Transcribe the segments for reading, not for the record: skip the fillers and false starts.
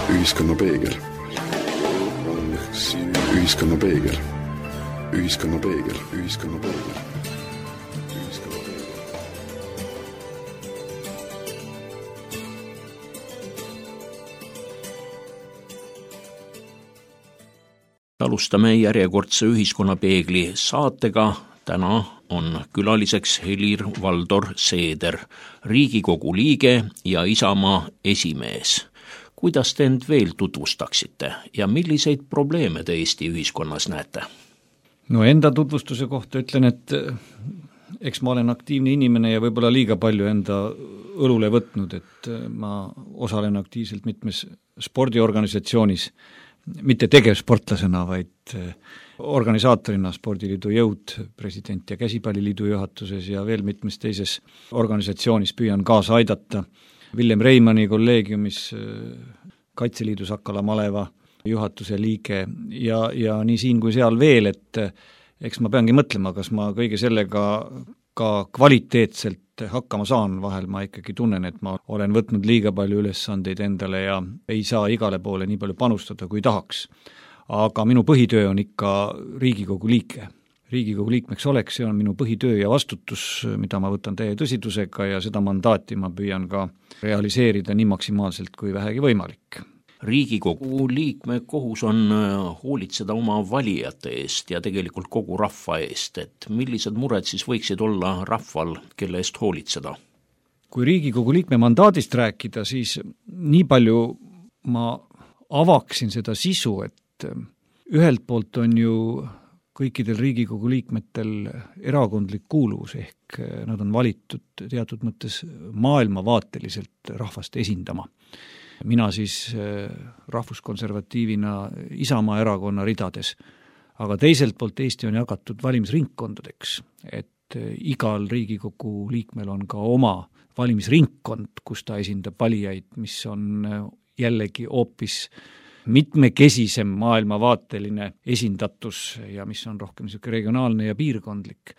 Ühiskonna peegel. Ühiskonna peegel. Ühiskonna peegel. Ühiskonna peegel. Alustame järjekordse Ühiskonnapeegli saatega. Täna on külaliseks Helir-Valdor Seeder, Riigikogu liige ja Isamaa esimees. Kuidas te end veel tutvustaksite ja milliseid probleeme te Eesti ühiskonnas näete? No enda tutvustuse kohta ütlen, et eks ma olen aktiivne inimene ja võib-olla liiga palju enda õlule võtnud, et ma osalen aktiivselt mitmes spordiorganisatsioonis, mitte tegevsportlasena, vaid organisaatorina Spordiliidu Jõud, president ja Käsipalliliidu juhatuses ja veel mitmes teises organisatsioonis püüan kaasa aidata. Villem Reimanni kolleegiumis Kaitseliidu Sakala maleva juhatuse liige ja nii siin kui seal veel, et eks ma peangi mõtlema, kas ma kõige sellega ka kvaliteetselt hakkama saan. Vahel ma ikkagi tunnen, et ma olen võtnud liiga palju ülesandeid endale ja ei saa igale poole nii palju panustada, kui tahaks. Aga minu põhitöö on ikka Riigikogu liige. Riigikogu liikmeks oleks, see on minu põhitöö ja vastutus, mida ma võtan täie tõsidusega ja seda mandaati ma püüan ka realiseerida nii maksimaalselt kui vähegi võimalik. Riigikogu liikme kohus on hoolitseda oma valijate eest ja tegelikult kogu rahva eest, et millised mured siis võiksid olla rahval, kelle eest hoolitseda? Kui Riigikogu liikme mandaadist rääkida, siis nii palju ma avaksin seda sisu, et ühelt poolt on ju kõikidel Riigikogu liikmetel erakondlik kuuluvus, ehk nad on valitud teatud mõttes maailmavaateliselt rahvast esindama. Mina siis rahvuskonservatiivina Isamaa erakonna ridades, aga teiselt poolt Eesti on jagatud valimisringkondadeks, et igal Riigikogu liikmel on ka oma valimisringkond, kus ta esindab valijaid, mis on jällegi hoopis mitmekesisem maailmavaateline esindatus ja mis on rohkem niisugune regionaalne ja piirkondlik.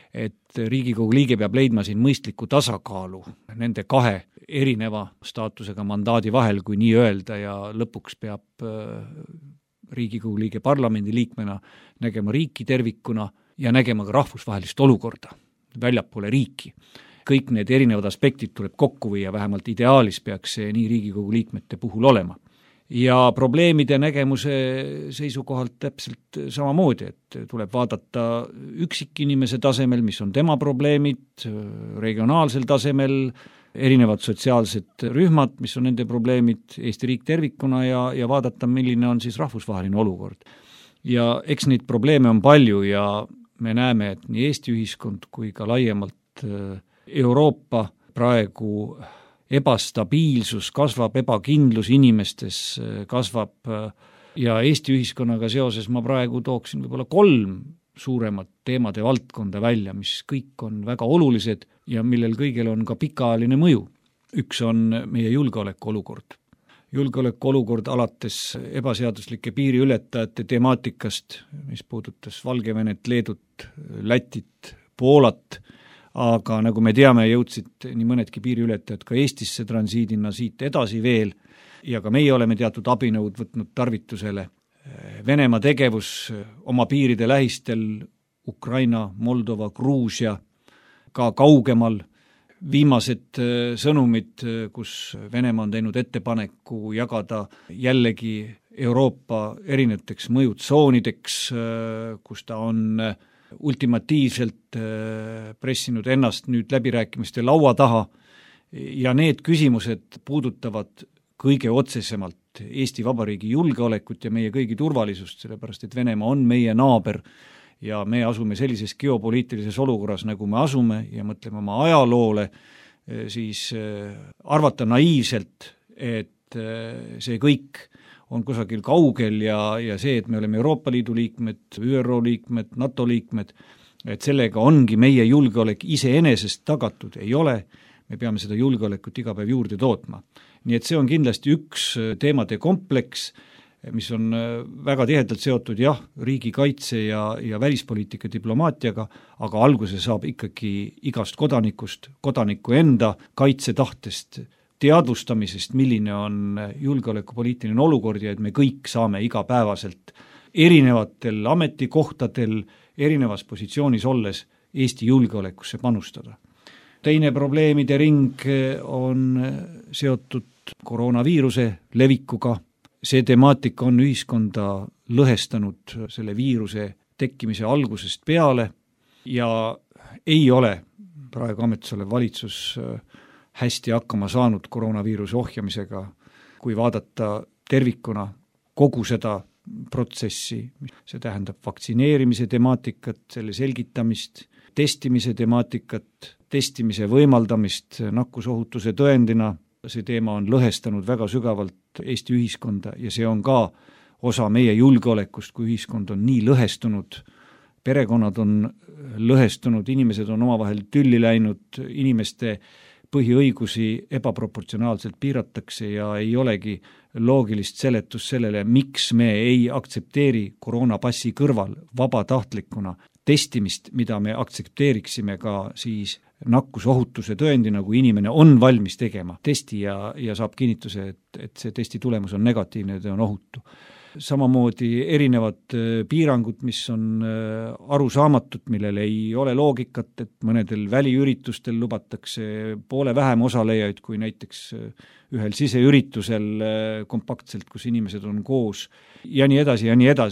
Et Riigikogu liige peab leidma siin mõistliku tasakaalu nende kahe erineva staatusega mandaadi vahel, kui nii öelda, ja lõpuks peab Riigikogu liige parlamendi liikmena nägema riiki tervikuna ja nägema ka rahvusvahelist olukorda väljapoole riiki. Kõik need erinevad aspektid tuleb kokku viia, vähemalt ideaalis peaks see nii Riigikogu liikmete puhul olema. Ja probleemide nägemuse seisukohalt täpselt samamoodi, et tuleb vaadata üksikinimese tasemel, mis on tema probleemid, regionaalsel tasemel, erinevad sotsiaalsed rühmad, mis on nende probleemid, Eesti riik tervikuna ja vaadata, milline on siis rahvusvaheline olukord. Ja eks neid probleeme on palju ja me näeme, et nii Eesti ühiskond kui ka laiemalt Euroopa praegu ebastabiilsus kasvab, ebakindlus inimestes kasvab ja Eesti ühiskonnaga seoses ma praegu tooksin võib-olla 3 suuremat teemade valdkonda välja, mis kõik on väga olulised ja millel kõigil on ka pikaajaline mõju. Üks on meie julgeolekuolukord. Julgeolekuolukord alates ebaseaduslike piiriületajate temaatikast, mis puudutas Valgevenet, Leedut, Lätit, Poolat, aga nagu me teame, jõudsid nii mõnedki piiriületajad ka Eestisse transiidina siit edasi veel ja ka meie oleme teatud abinõud võtnud tarvitusele. Venemaa tegevus oma piiride lähistel, Ukraina, Moldova, Gruusia, ka kaugemal, viimased sõnumid, kus Venemaa on teinud ettepaneku jagada jällegi Euroopa erinevateks mõjutsoonideks, kus ta on ultimatiivselt pressinud ennast nüüd läbirääkimiste laua taha ja need küsimused puudutavad kõige otsesemalt Eesti Vabariigi julgeolekut ja meie kõigi turvalisust, sellepärast et Venemaa on meie naaber ja me asume sellises geopoliitilises olukorras, nagu me asume ja mõtleme oma ajaloole, siis arvata naiivselt, et see kõik on kusagil kaugel ja see, et me oleme Euroopa Liidu liikmed, ÜRO liikmed, NATO liikmed, et sellega ongi meie julgeolek iseenesest tagatud, ei ole, me peame seda julgeolekut iga päev juurde tootma. Nii et see on kindlasti üks teemade kompleks, mis on väga tihedalt seotud riigikaitse ja välispoliitika diplomaatiaga, aga alguse saab ikkagi igast kodanikust, kodaniku enda kaitsetahtest, teadvustamisest, milline on julgeolekupoliitiline olukord ja et me kõik saame igapäevaselt erinevatel ametikohtadel, erinevas positsioonis olles Eesti julgeolekusse panustada. Teine probleemide ring on seotud koroonaviiruse levikuga. See temaatika on ühiskonda lõhestanud selle viiruse tekkimise algusest peale ja ei ole praegu ametis olev valitsus hästi hakkama saanud koroonaviiruse ohjamisega, kui vaadata tervikuna kogu seda protsessi, see tähendab vaktsineerimise temaatikat, selle selgitamist, testimise temaatikat, testimise võimaldamist nakkusohutuse tõendina, see teema on lõhestanud väga sügavalt Eesti ühiskonda ja see on ka osa meie julgeolekust, kui ühiskond on nii lõhestunud, perekonnad on lõhestunud, inimesed on omavahel tülli läinud, inimeste põhiõigusi ebaproportsionaalselt piiratakse ja ei olegi loogilist seletust sellele, miks me ei aktsepteeri koroonapassi kõrval vabatahtlikuna testimist, mida me aktsepteeriksime ka siis nakkusohutuse tõendina, kui inimene on valmis tegema testi ja saab kinnituse, et see testi tulemus on negatiivne ja ta on ohutu. Samamoodi erinevad piirangud, mis on arusaamatud, millel ei ole loogikat, et mõnedel väliüritustel lubatakse poole vähem osalejaid kui näiteks ühel siseüritusel kompaktselt, kus inimesed on koos ja nii edasi,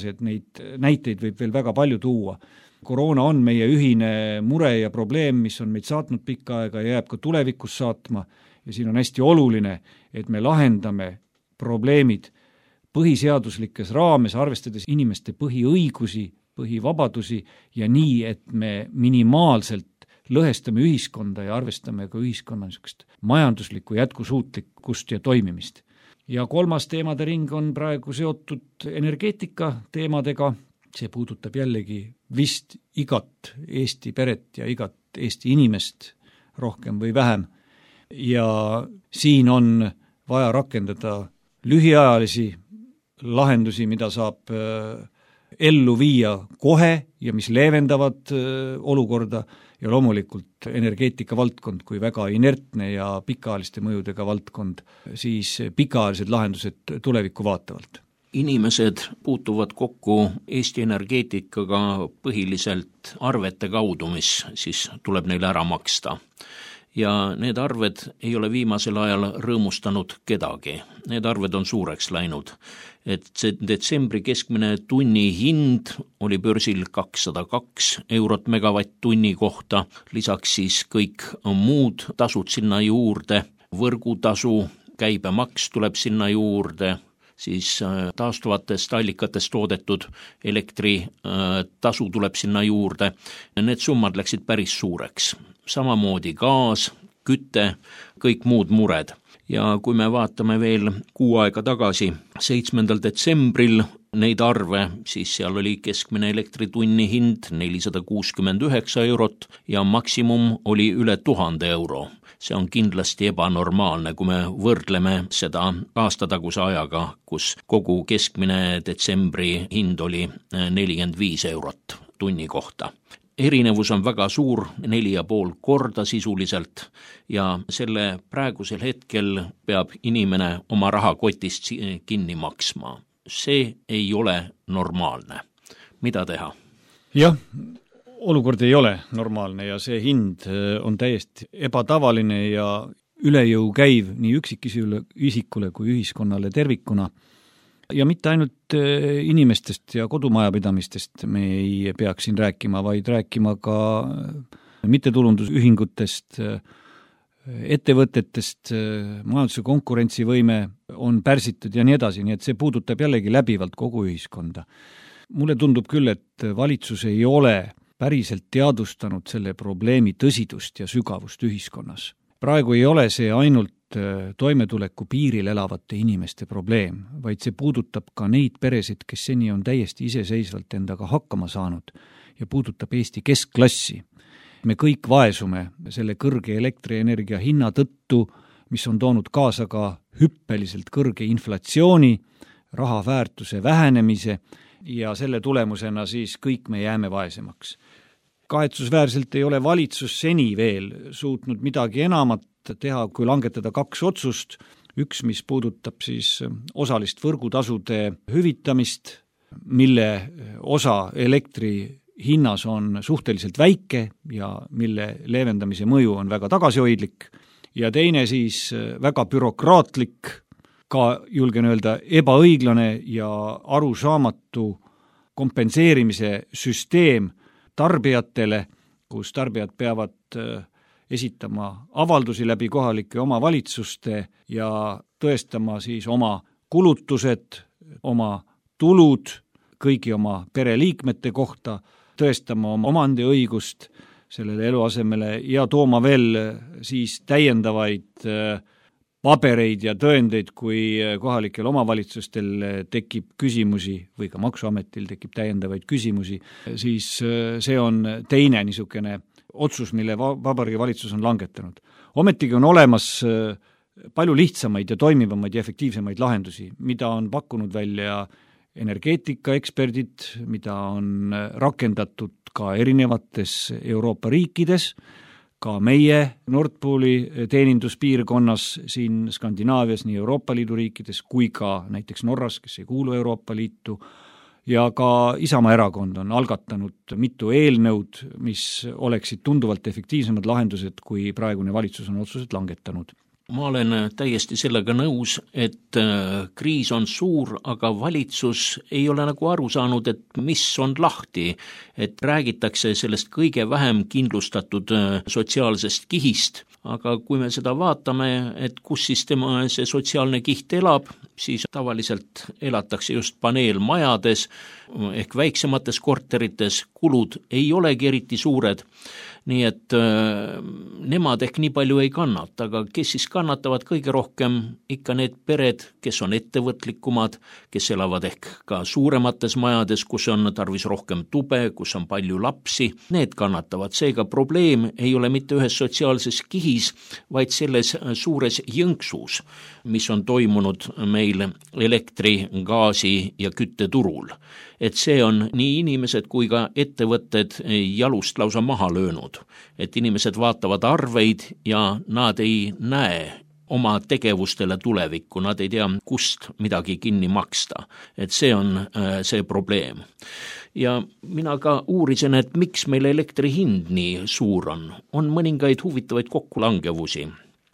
et neid näiteid võib veel väga palju tuua. Koroona on meie ühine mure ja probleem, mis on meid saatnud pikka aega ja jääb ka tulevikus saatma ja siin on hästi oluline, et me lahendame probleemid põhiseaduslikes raames, arvestades inimeste põhiõigusi, põhivabadusi ja nii, et me minimaalselt lõhestame ühiskonda ja arvestame ka ühiskonna niisugust majanduslikku jätkusuutlikkust ja toimimist. Ja kolmas teemade ring on praegu seotud energeetika teemadega, see puudutab jällegi vist igat Eesti peret ja igat Eesti inimest rohkem või vähem ja siin on vaja rakendada lühiajalisi lahendusi, mida saab ellu viia kohe ja mis leevendavad olukorda ja loomulikult energeetika valdkond kui väga inertne ja pikaajaliste mõjudega valdkond, siis pikaajalised lahendused tulevikku vaatavalt. Inimesed puutuvad kokku Eesti energeetikaga põhiliselt arvete kaudu, mis siis tuleb neile ära maksta. Ja need arved ei ole viimasel ajal rõõmustanud kedagi. Need arved on suureks läinud. Et see detsembri keskmine tunni hind oli börsil 202 eurot megavatt-tunni kohta, lisaks siis kõik muud tasud sinna juurde, võrgutasu, käibemaks tuleb sinna juurde, siis taastuvatest allikatest toodetud elektri tasu tuleb sinna juurde. Need summad läksid päris suureks. Samamoodi gaas, küte, kõik muud mured. Ja kui me vaatame veel kuu aega tagasi, 7. detsembril neid arve, siis seal oli keskmine elektritunni hind 469 eurot ja maksimum oli üle 1000 euro. See on kindlasti ebanormaalne, kui me võrdleme seda aastataguse ajaga, kus kogu keskmine detsembri hind oli 45 eurot tunni kohta. Erinevus on väga suur, 4,5 korda sisuliselt ja selle praegusel hetkel peab inimene oma rahakotist kinni maksma. See ei ole normaalne. Mida teha? Jah, olukord ei ole normaalne ja see hind on täiesti ebatavaline ja üle jõu käiv nii üksikisikule kui ühiskonnale tervikuna. Ja mitte ainult inimestest ja kodumajapidamistest me ei peaks siin rääkima, vaid rääkima ka mittetulundusühingutest, ettevõtetest, majanduse konkurentsivõime on pärsitud ja nii edasi, nii et see puudutab jällegi läbivalt kogu ühiskonda. Mulle tundub küll, et valitsus ei ole päriselt teadvustanud selle probleemi tõsidust ja sügavust ühiskonnas. Praegu ei ole see ainult toimetuleku piiril elavate inimeste probleem, vaid see puudutab ka neid peresid, kes seni on täiesti iseseisvalt endaga hakkama saanud ja puudutab Eesti keskklassi. Me kõik vaesume selle kõrge elektrienergia hinna tõttu, mis on toonud kaasa ka hüppeliselt kõrge inflatsiooni, raha väärtuse vähenemise ja selle tulemusena siis kõik me jääme vaesemaks. Kahetsusväärselt ei ole valitsus seni veel suutnud midagi enamat teha, kui langetada 2 otsust. Üks, mis puudutab siis osalist võrgutasude hüvitamist, mille osa elektri hinnas on suhteliselt väike ja mille leevendamise mõju on väga tagasihoidlik, ja teine siis väga bürokraatlik, ka julgen öelda ebaõiglane ja arusaamatu kompenseerimise süsteem tarbijatele, kus tarbijad peavad esitama avaldusi läbi kohalike omavalitsuste ja tõestama siis oma kulutused, oma tulud kõigi oma pereliikmete kohta, tõestama oma omandiõigust sellele eluasemele ja tooma veel siis täiendavaid pabereid ja tõendeid, kui kohalikel omavalitsustel tekib küsimusi või ka Maksuametil tekib täiendavaid küsimusi, siis see on teine niisugune otsus, mille Vabariigi Valitsus on langetanud. Ometigi on olemas palju lihtsamaid ja toimivamaid ja efektiivsemaid lahendusi, mida on pakkunud välja energeetikaeksperdid, mida on rakendatud ka erinevates Euroopa riikides, ka meie Nord Pooli teeninduspiirkonnas siin Skandinaavias, nii Euroopa Liidu riikides kui ka näiteks Norras, kes ei kuulu Euroopa Liitu, ja ka Isamaa erakond on algatanud mitu eelnõud, mis oleksid tunduvalt efektiivsemad lahendused, kui praegune valitsus on otsused langetanud. Ma olen täiesti sellega nõus, et kriis on suur, aga valitsus ei ole nagu aru saanud, et mis on lahti, et räägitakse sellest kõige vähem kindlustatud sotsiaalsest kihist, aga kui me seda vaatame, et kus siis tema see sotsiaalne kiht elab, siis tavaliselt elatakse just paneelmajades ehk väiksemates korterites, kulud ei olegi eriti suured, nii et nemad ehk nii palju ei kannata, aga kes siis kannatavad kõige rohkem? Ikka need pered, kes on ettevõtlikumad, kes elavad ehk ka suuremates majades, kus on tarvis rohkem tube, kus on palju lapsi, need kannatavad. Seega probleem ei ole mitte ühes sotsiaalses kihis, vaid selles suures jõnksus, mis on toimunud meil elektri, gaasi ja kütteturul. Et see on nii inimesed kui ka ettevõtted jalust lausa maha löönud. Et inimesed vaatavad arveid ja nad ei näe oma tegevustele tulevikku, nad ei tea, kust midagi kinni maksta. Et see on see probleem. Ja mina ka uurisin, et miks meil elektri hind nii suur on. On mõningaid huvitavaid kokkulangevusi.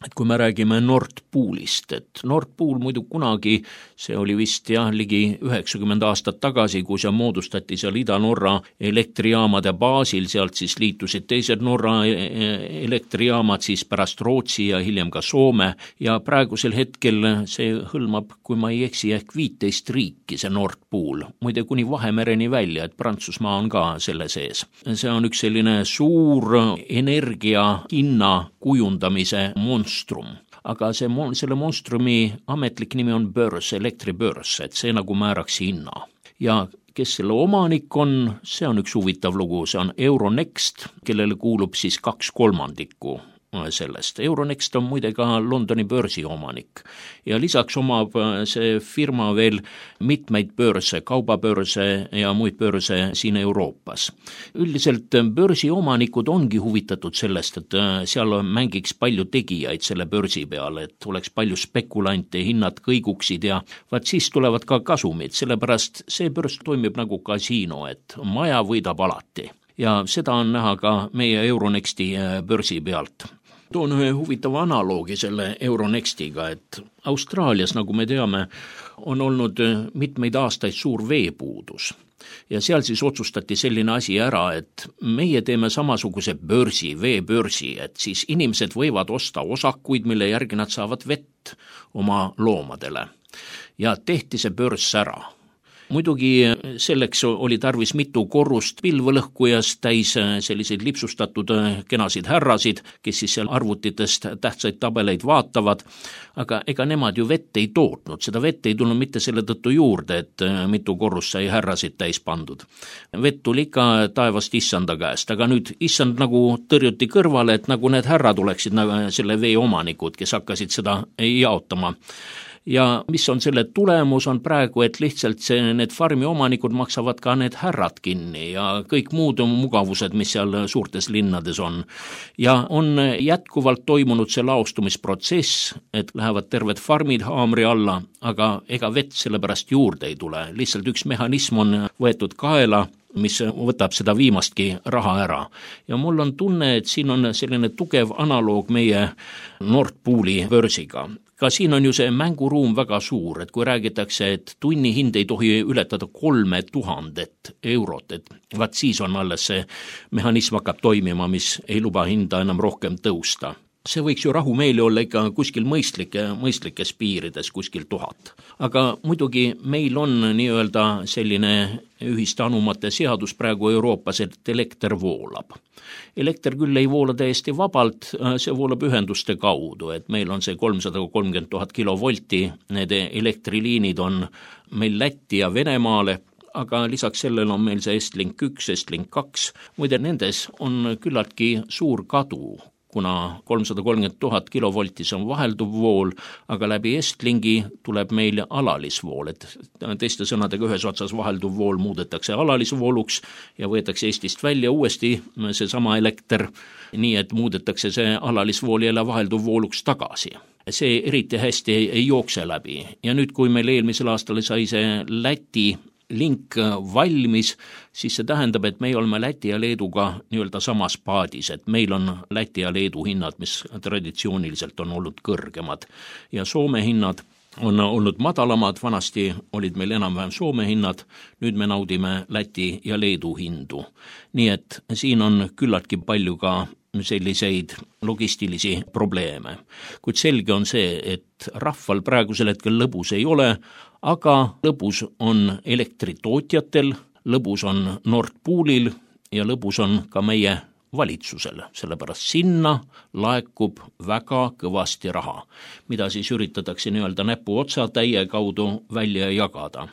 Et kui me räägime Nord Poolist, et Nord Pool muidu kunagi, see oli vist ligi 90 aastat tagasi, kui see moodustati seal Ida-Norra elektrijaamade baasil, sealt siis liitusid teised Norra elektrijaamad, siis pärast Rootsi ja hiljem ka Soome, ja praegusel hetkel see hõlmab, kui ma ei eksi, ehk 15 riiki, see Nord Pool, muide kuni Vahemereni välja, et Prantsusmaa on ka selle sees. See on üks selline suur energia hinna kujundamise monstrum, aga selle monstrumi ametlik nimi on börs, elektribörs, et see nagu määraks hinna. Ja kes selle omanik on, see on üks huvitav lugu, see on Euronext, kellele kuulub siis 2/3 sellest. Euronext on muide ka Londoni börsi omanik ja lisaks omab see firma veel mitmeid börse, kaubabörse ja muid börse siin Euroopas. Üldiselt börsi omanikud ongi huvitatud sellest, et seal mängiks palju tegijaid selle börsi peale, et oleks palju spekulante, hinnad kõiguksid ja vaat siis tulevad ka kasumid, sellepärast see börs toimib nagu kasiino, et maja võidab alati. Ja seda on näha ka meie Euronexti börsi pealt. Toon ühe huvitava analoogi selle Euronextiga, et Austraalias, nagu me teame, on olnud mitmeid aastaid suur veepuudus. Ja seal siis otsustati selline asi ära, et meie teeme samasuguse börsi, veebörsi, et siis inimesed võivad osta osakuid, mille järgi nad saavad vett oma loomadele. Ja tehti see börs ära. Muidugi selleks oli tarvis mitu korrust pilvelõhkujas täis selliseid lipsustatud kenasid härrasid, kes siis seal arvutitest tähtsaid tabeleid vaatavad, aga ega nemad ju vett ei tootnud, seda vett ei tulnud mitte selle tõttu juurde, et mitu korrust sai härrasid täis pandud. Vett tuli ikka taevast issanda käest, aga nüüd issand nagu tõrjuti kõrvale, et nagu need härrad oleksid nagu selle vee omanikud, kes hakkasid seda jaotama. Ja mis on selle tulemus on praegu, et lihtsalt need farmi omanikud maksavad ka need härrad kinni ja kõik muud mugavused, mis seal suurtes linnades on. Ja on jätkuvalt toimunud see laostumisprotsess, et lähevad terved farmid haamri alla, aga ega vett sellepärast juurde ei tule. Lihtsalt üks mehhanism on võetud kaela, mis võtab seda viimastki raha ära. Ja mul on tunne, et siin on selline tugev analoog meie Nord Pooli börsiga. Ka siin on ju see mänguruum väga suur, et kui räägitakse, et tunni hind ei tohi ületada 3000 eurot, et vaat siis on alles see mehhanism hakkab toimima, mis ei luba hinda enam rohkem tõusta. See võiks ju rahumeeli olla ikka kuskil mõistlikes piirides, kuskil 1000. Aga muidugi meil on nii-öelda selline ühiste anumate seadus praegu Euroopas, et elekter voolab. Elekter küll ei voola täiesti vabalt, see voolab ühenduste kaudu, et meil on see 330 000 kilovolti, need elektriliinid on meil Lätti ja Venemaale, aga lisaks sellele on meil see Estlink 1, Estlink 2, muide nendes on küllaltki suur kadu, kuna 330 000 kilovoltis on vahelduv vool, aga läbi Estlingi tuleb meil alalisvool, et teiste sõnadega ühes otsas vahelduv vool muudetakse alalisvooluks ja võetakse Eestist välja uuesti see sama elekter, nii et muudetakse see alalisvool jälle vahelduv vooluks tagasi. See eriti hästi ei jookse läbi ja nüüd, kui meil eelmisel aastal sai see Läti link valmis, siis see tähendab, et me oleme Läti ja Leeduga nii-öelda samas paadis, et meil on Läti ja Leedu hinnad, mis traditsiooniliselt on olnud kõrgemad ja Soome hinnad on olnud madalamad, vanasti olid meil enam-vähem Soome hinnad, nüüd me naudime Läti ja Leedu hindu. Nii et siin on küllaltki palju ka selliseid logistilisi probleeme. Kuid selge on see, et rahval praegusel hetkel lõbus ei ole, aga lõbus on elektritootjatel, lõbus on Nord Poolil ja lõbus on ka meie valitsusel, sellepärast sinna laekub väga kõvasti raha, mida siis üritatakse nii-öelda näpuotsa täie kaudu välja jagada.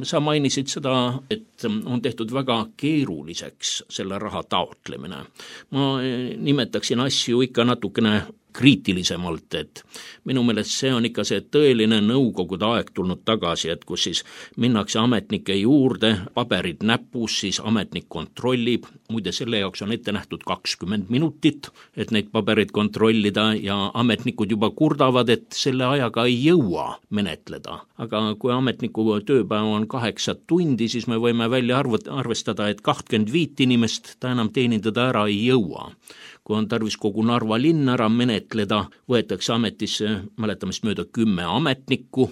Sa mainisid seda, et on tehtud väga keeruliseks selle raha taotlemine. Ma nimetaksin asju ikka natukene kriitilisemalt, et minu meelest see on ikka see tõeline nõukogude aeg tulnud tagasi, et kus siis minnakse ametnike juurde, paberid näpus, siis ametnik kontrollib, muide selle jaoks on ette nähtud 20 minutit, et neid paberid kontrollida ja ametnikud juba kurdavad, et selle ajaga ei jõua menetleda. Aga kui ametniku tööpäev on 8 tundi, siis me võime välja arvestada, et 25 inimest ta enam teenindada ära ei jõua. Kui on tarvis kogu Narva linn ära menetleda, võetakse ametisse mäletamist mööda 10 ametnikku,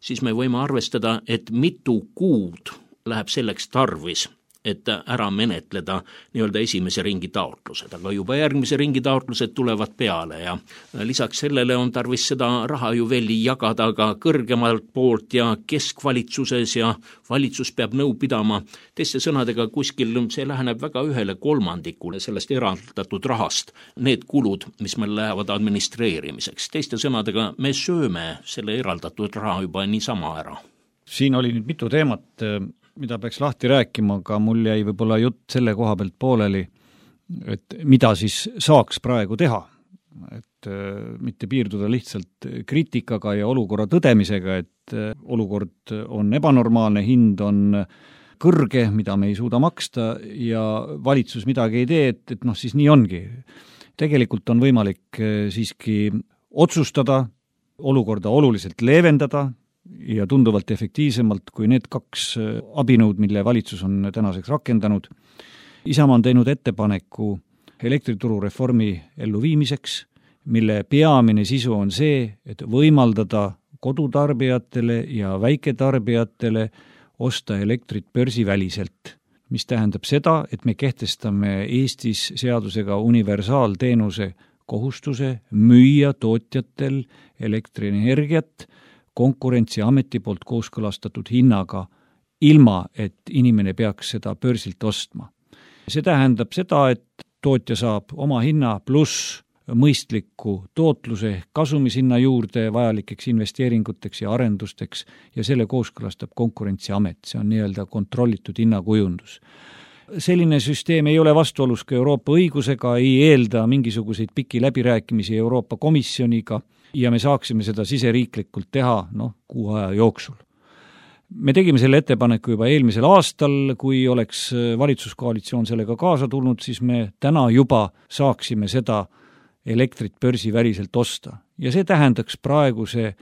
siis me võime arvestada, et mitu kuud läheb selleks tarvis, et ära menetleda nii-öelda esimese ringi taotlused, aga juba järgmise ringi taotlused tulevad peale ja lisaks sellele on tarvis seda raha ju veel jagada ka kõrgemalt poolt ja keskvalitsuses ja valitsus peab nõu pidama. Teiste sõnadega kuskil see läheneb väga 1/3 sellest eraldatud rahast, need kulud, mis meil lähevad administreerimiseks. Teiste sõnadega me sööme selle eraldatud raha juba niisama ära. Siin oli nüüd mitu teemat, mida peaks lahti rääkima, aga mul jäi võib-olla jutt selle koha pealt pooleli, et mida siis saaks praegu teha, et mitte piirduda lihtsalt kriitikaga ja olukorra tõdemisega, et olukord on ebanormaalne, hind on kõrge, mida me ei suuda maksta ja valitsus midagi ei tee, et siis nii ongi. Tegelikult on võimalik siiski otsustada, olukorda oluliselt leevendada, ja tunduvalt efektiivsemalt kui need 2 abinõud, mille valitsus on tänaseks rakendanud. Isamaa on teinud ettepaneku elektrituru reformi elluviimiseks, mille peamine sisu on see, et võimaldada kodutarbijatele ja väiketarbijatele osta elektrit börsiväliselt, mis tähendab seda, et me kehtestame Eestis seadusega universaalteenuse kohustuse müüa tootjatel elektrienergiat Konkurentsiameti poolt kooskõlastatud hinnaga, ilma et inimene peaks seda börsilt ostma. See tähendab seda, et tootja saab oma hinna pluss mõistliku tootluse kasumishinna juurde vajalikeks investeeringuteks ja arendusteks ja selle kooskõlastab Konkurentsiamet, see on nii-öelda kontrollitud hinnakujundus. Selline süsteem ei ole vastuolus ka Euroopa õigusega, ei eelda mingisuguseid pikki läbirääkimisi Euroopa Komisjoniga ja me saaksime seda siseriiklikult teha kuu aja jooksul. Me tegime selle ettepaneku juba eelmisel aastal, kui oleks valitsuskoalitsioon sellega kaasa tulnud, siis me täna juba saaksime seda elektrit börsiväliselt osta. Ja see tähendaks praeguse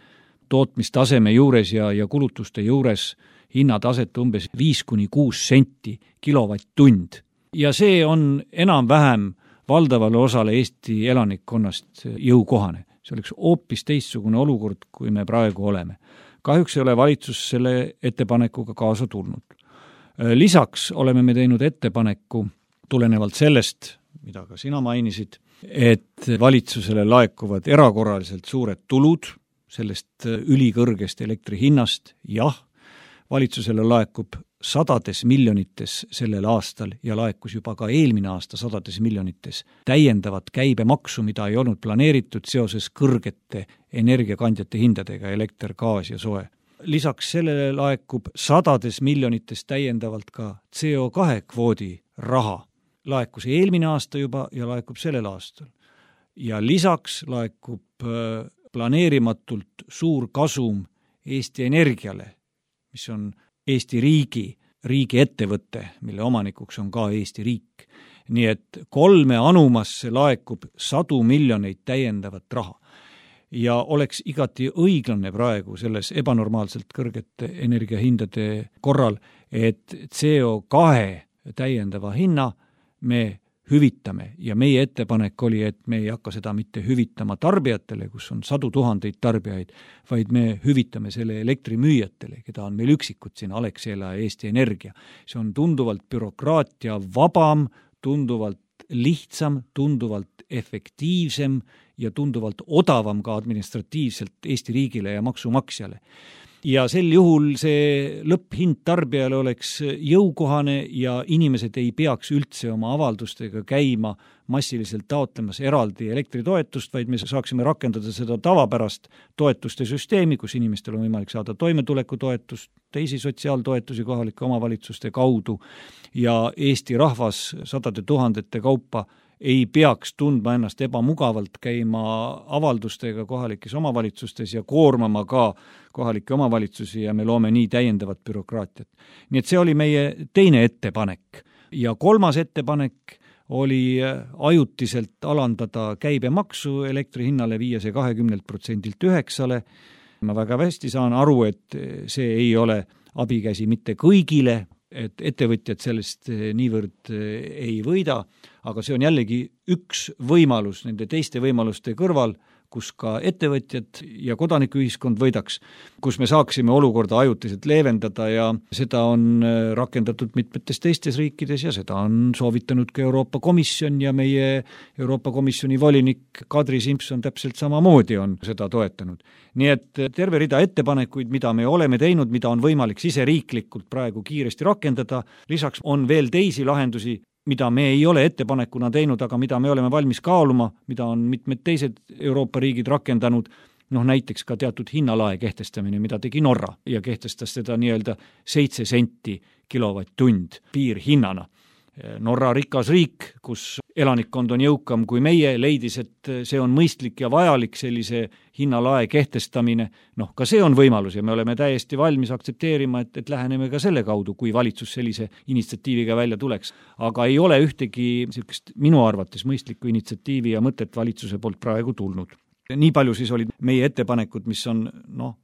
tootmistaseme juures ja kulutuste juures hinnataset umbes 5–6 senti kilovatt-tund. Ja see on enam-vähem valdavale osale Eesti elanikkonnast jõukohane. See oleks hoopis teistsugune olukord, kui me praegu oleme. Kahjuks ei ole valitsus selle ettepanekuga kaasa tulnud. Lisaks oleme me teinud ettepaneku tulenevalt sellest, mida ka sina mainisid, et valitsusele laekuvad erakorraliselt suured tulud sellest ülikõrgest elektri hinnast. Jah, valitsusele laekub sadades miljonites sellel aastal ja laekus juba ka eelmine aasta sadades miljonites täiendavat käibemaksu, mida ei olnud planeeritud seoses kõrgete energiakandjate hindadega, elekter, gaas ja soe. Lisaks sellele laekub sadades miljonites täiendavalt ka CO2 kvoodi raha. Laekus eelmine aasta juba ja laekub sellel aastal. Ja lisaks laekub planeerimatult suur kasum Eesti Energiale, mis on Eesti riigi ettevõte, mille omanikuks on ka Eesti riik. Nii et 3 anumasse laekub 100 miljoneid täiendavat raha. Ja oleks igati õiglane praegu selles ebanormaalselt kõrgete energiahindade korral, et CO2 täiendava hinna me hüvitame ja meie ettepanek oli, et me ei hakka seda mitte hüvitama tarbijatele, kus on 100 000 tarbijaid, vaid me hüvitame selle elektrimüüjatele, keda on meil üksikud siin, Alexela ja Eesti Energia. See on tunduvalt bürokraatia vabam, tunduvalt lihtsam, tunduvalt efektiivsem ja tunduvalt odavam ka administratiivselt Eesti riigile ja maksumaksjale. Ja sel juhul see lõpphind tarbijale oleks jõukohane ja inimesed ei peaks üldse oma avaldustega käima massiliselt taotlemas eraldi elektritoetust, vaid me saaksime rakendada seda tavapärast toetuste süsteemi, kus inimestel on võimalik saada toimetulekutoetust, teisi sotsiaaltoetusi kohalike omavalitsuste kaudu ja Eesti rahvas 100 000 kaupa ei peaks tundma ennast ebamugavalt käima avaldustega kohalikes omavalitsustes ja koormama ka kohalike omavalitsusi ja me loome nii täiendavat bürokraatiat. Nii et see oli meie teine ettepanek. Ja kolmas ettepanek oli ajutiselt alandada käibemaksu elektri hinnale, viia see 20% 9%. Ma väga hästi saan aru, et see ei ole abikäsi mitte kõigile, et ettevõtjad sellest niivõrd ei võida, aga see on jällegi üks võimalus nende teiste võimaluste kõrval, kus ka ettevõtjad ja kodanikuühiskond võidaks, kus me saaksime olukorda ajutiselt leevendada ja seda on rakendatud mitmetes teistes riikides ja seda on soovitanud ka Euroopa Komisjon ja meie Euroopa Komisjoni volinik Kadri Simson täpselt samamoodi on seda toetanud. Nii et terve rida ettepanekuid, mida me oleme teinud, mida on võimalik siseriiklikult praegu kiiresti rakendada, lisaks on veel teisi lahendusi, mida me ei ole ettepanekuna teinud, aga mida me oleme valmis kaaluma, mida on mitmed teised Euroopa riigid rakendanud, näiteks ka teatud hinnalae kehtestamine, mida tegi Norra ja kehtestas seda nii-öelda 7 senti kilovatt-tund piirhinnana. Norra rikas riik, kus elanikkond on jõukam kui meie, leidis, et see on mõistlik ja vajalik sellise hinnalae kehtestamine. Ka see on võimalus ja me oleme täiesti valmis aktsepteerima, et läheneme ka selle kaudu, kui valitsus sellise initsiatiiviga välja tuleks. Aga ei ole ühtegi sellist minu arvates mõistlikku initsiatiivi ja mõtet valitsuse poolt praegu tulnud. Nii palju siis olid meie ettepanekud, mis on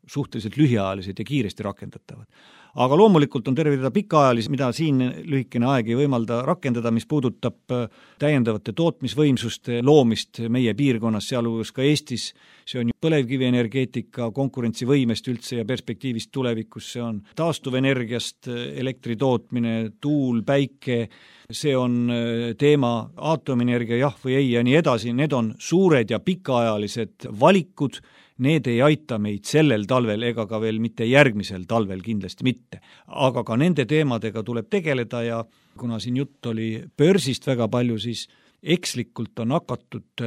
suhteliselt lühiajalised ja kiiresti rakendatavad. Aga loomulikult on terve rida pikaajalisi, mida siin lühikene aeg ei võimalda rakendada, mis puudutab täiendavate tootmisvõimsuste loomist meie piirkonnas, sealhulgas ka Eestis. See on põlevkivienergeetika konkurentsivõimest üldse ja perspektiivist tulevikus, see on taastuvenergiast elektri tootmine, tuul, päike, see on teema aatomienergia, jah või ei ja nii edasi. Need on suured ja pikaajalised valikud, need ei aita meid sellel talvel ega ka veel mitte järgmisel talvel kindlasti mitte. Aga ka nende teemadega tuleb tegeleda ja kuna siin jutt oli börsist väga palju, siis ekslikult on hakatud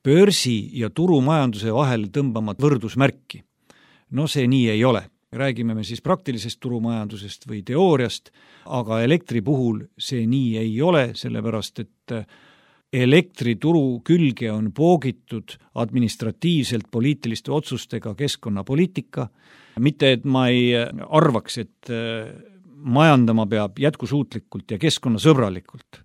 börsi ja turumajanduse vahel tõmbama võrdusmärki. See nii ei ole. Räägime me siis praktilisest turumajandusest või teooriast, aga elektri puhul see nii ei ole, sellepärast et elektrituru külge on poogitud administratiivselt poliitiliste otsustega keskkonnapoliitika. Mitte, et ma ei arvaks, et majandama peab jätkusuutlikult ja keskkonnasõbralikult.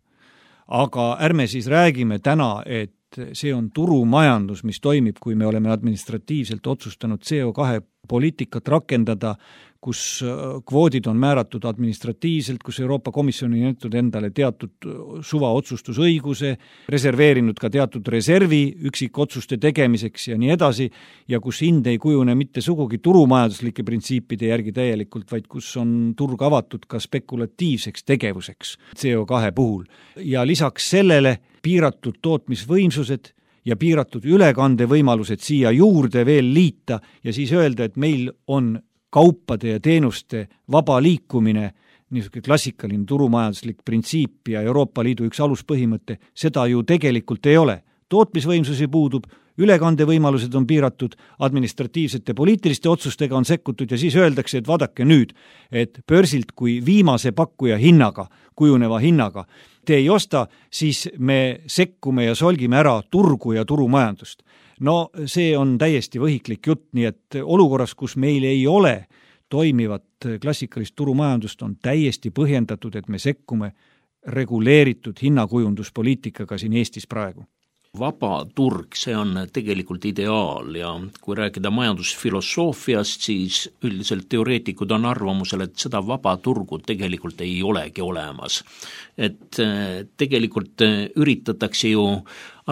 Aga ärme siis räägime täna, et see on turumajandus, mis toimib, kui me oleme administratiivselt otsustanud CO2 poliitikat rakendada, kus kvoodid on määratud administratiivselt, kus Euroopa Komisjon on jätnud endale teatud suvaotsustusõiguse, reserveerinud ka teatud reservi üksikotsuste tegemiseks ja nii edasi, ja kus hind ei kujune mitte sugugi turumajanduslike printsiipide järgi täielikult, vaid kus on turg avatud ka spekulatiivseks tegevuseks CO2 puhul. Ja lisaks sellele piiratud tootmisvõimsused ja piiratud ülekandevõimalused siia juurde veel liita ja siis öelda, et meil on kaupade ja teenuste vaba liikumine, niisugune klassikaline turumajanduslik printsiip ja Euroopa Liidu üks aluspõhimõte, seda ju tegelikult ei ole. Tootmisvõimsusi puudub, ülekandevõimalused on piiratud, administratiivsete poliitiliste otsustega on sekkutud ja siis öeldakse, et vaadake nüüd, et börsilt kui viimase pakkuja hinnaga, kujuneva hinnaga, te ei osta, siis me sekkume ja solgime ära turgu ja turumajandust. No see on täiesti võhiklik jutt, nii et olukorras, kus meil ei ole toimivat klassikalist turumajandust, on täiesti põhjendatud, et me sekkume reguleeritud hinnakujunduspoliitikaga siin Eestis praegu. Vaba turg, see on tegelikult ideaal ja kui rääkida majandusfilosoofiast, siis üldiselt teoreetikud on arvamusel, et seda vaba turgu tegelikult ei olegi olemas. Et tegelikult üritatakse ju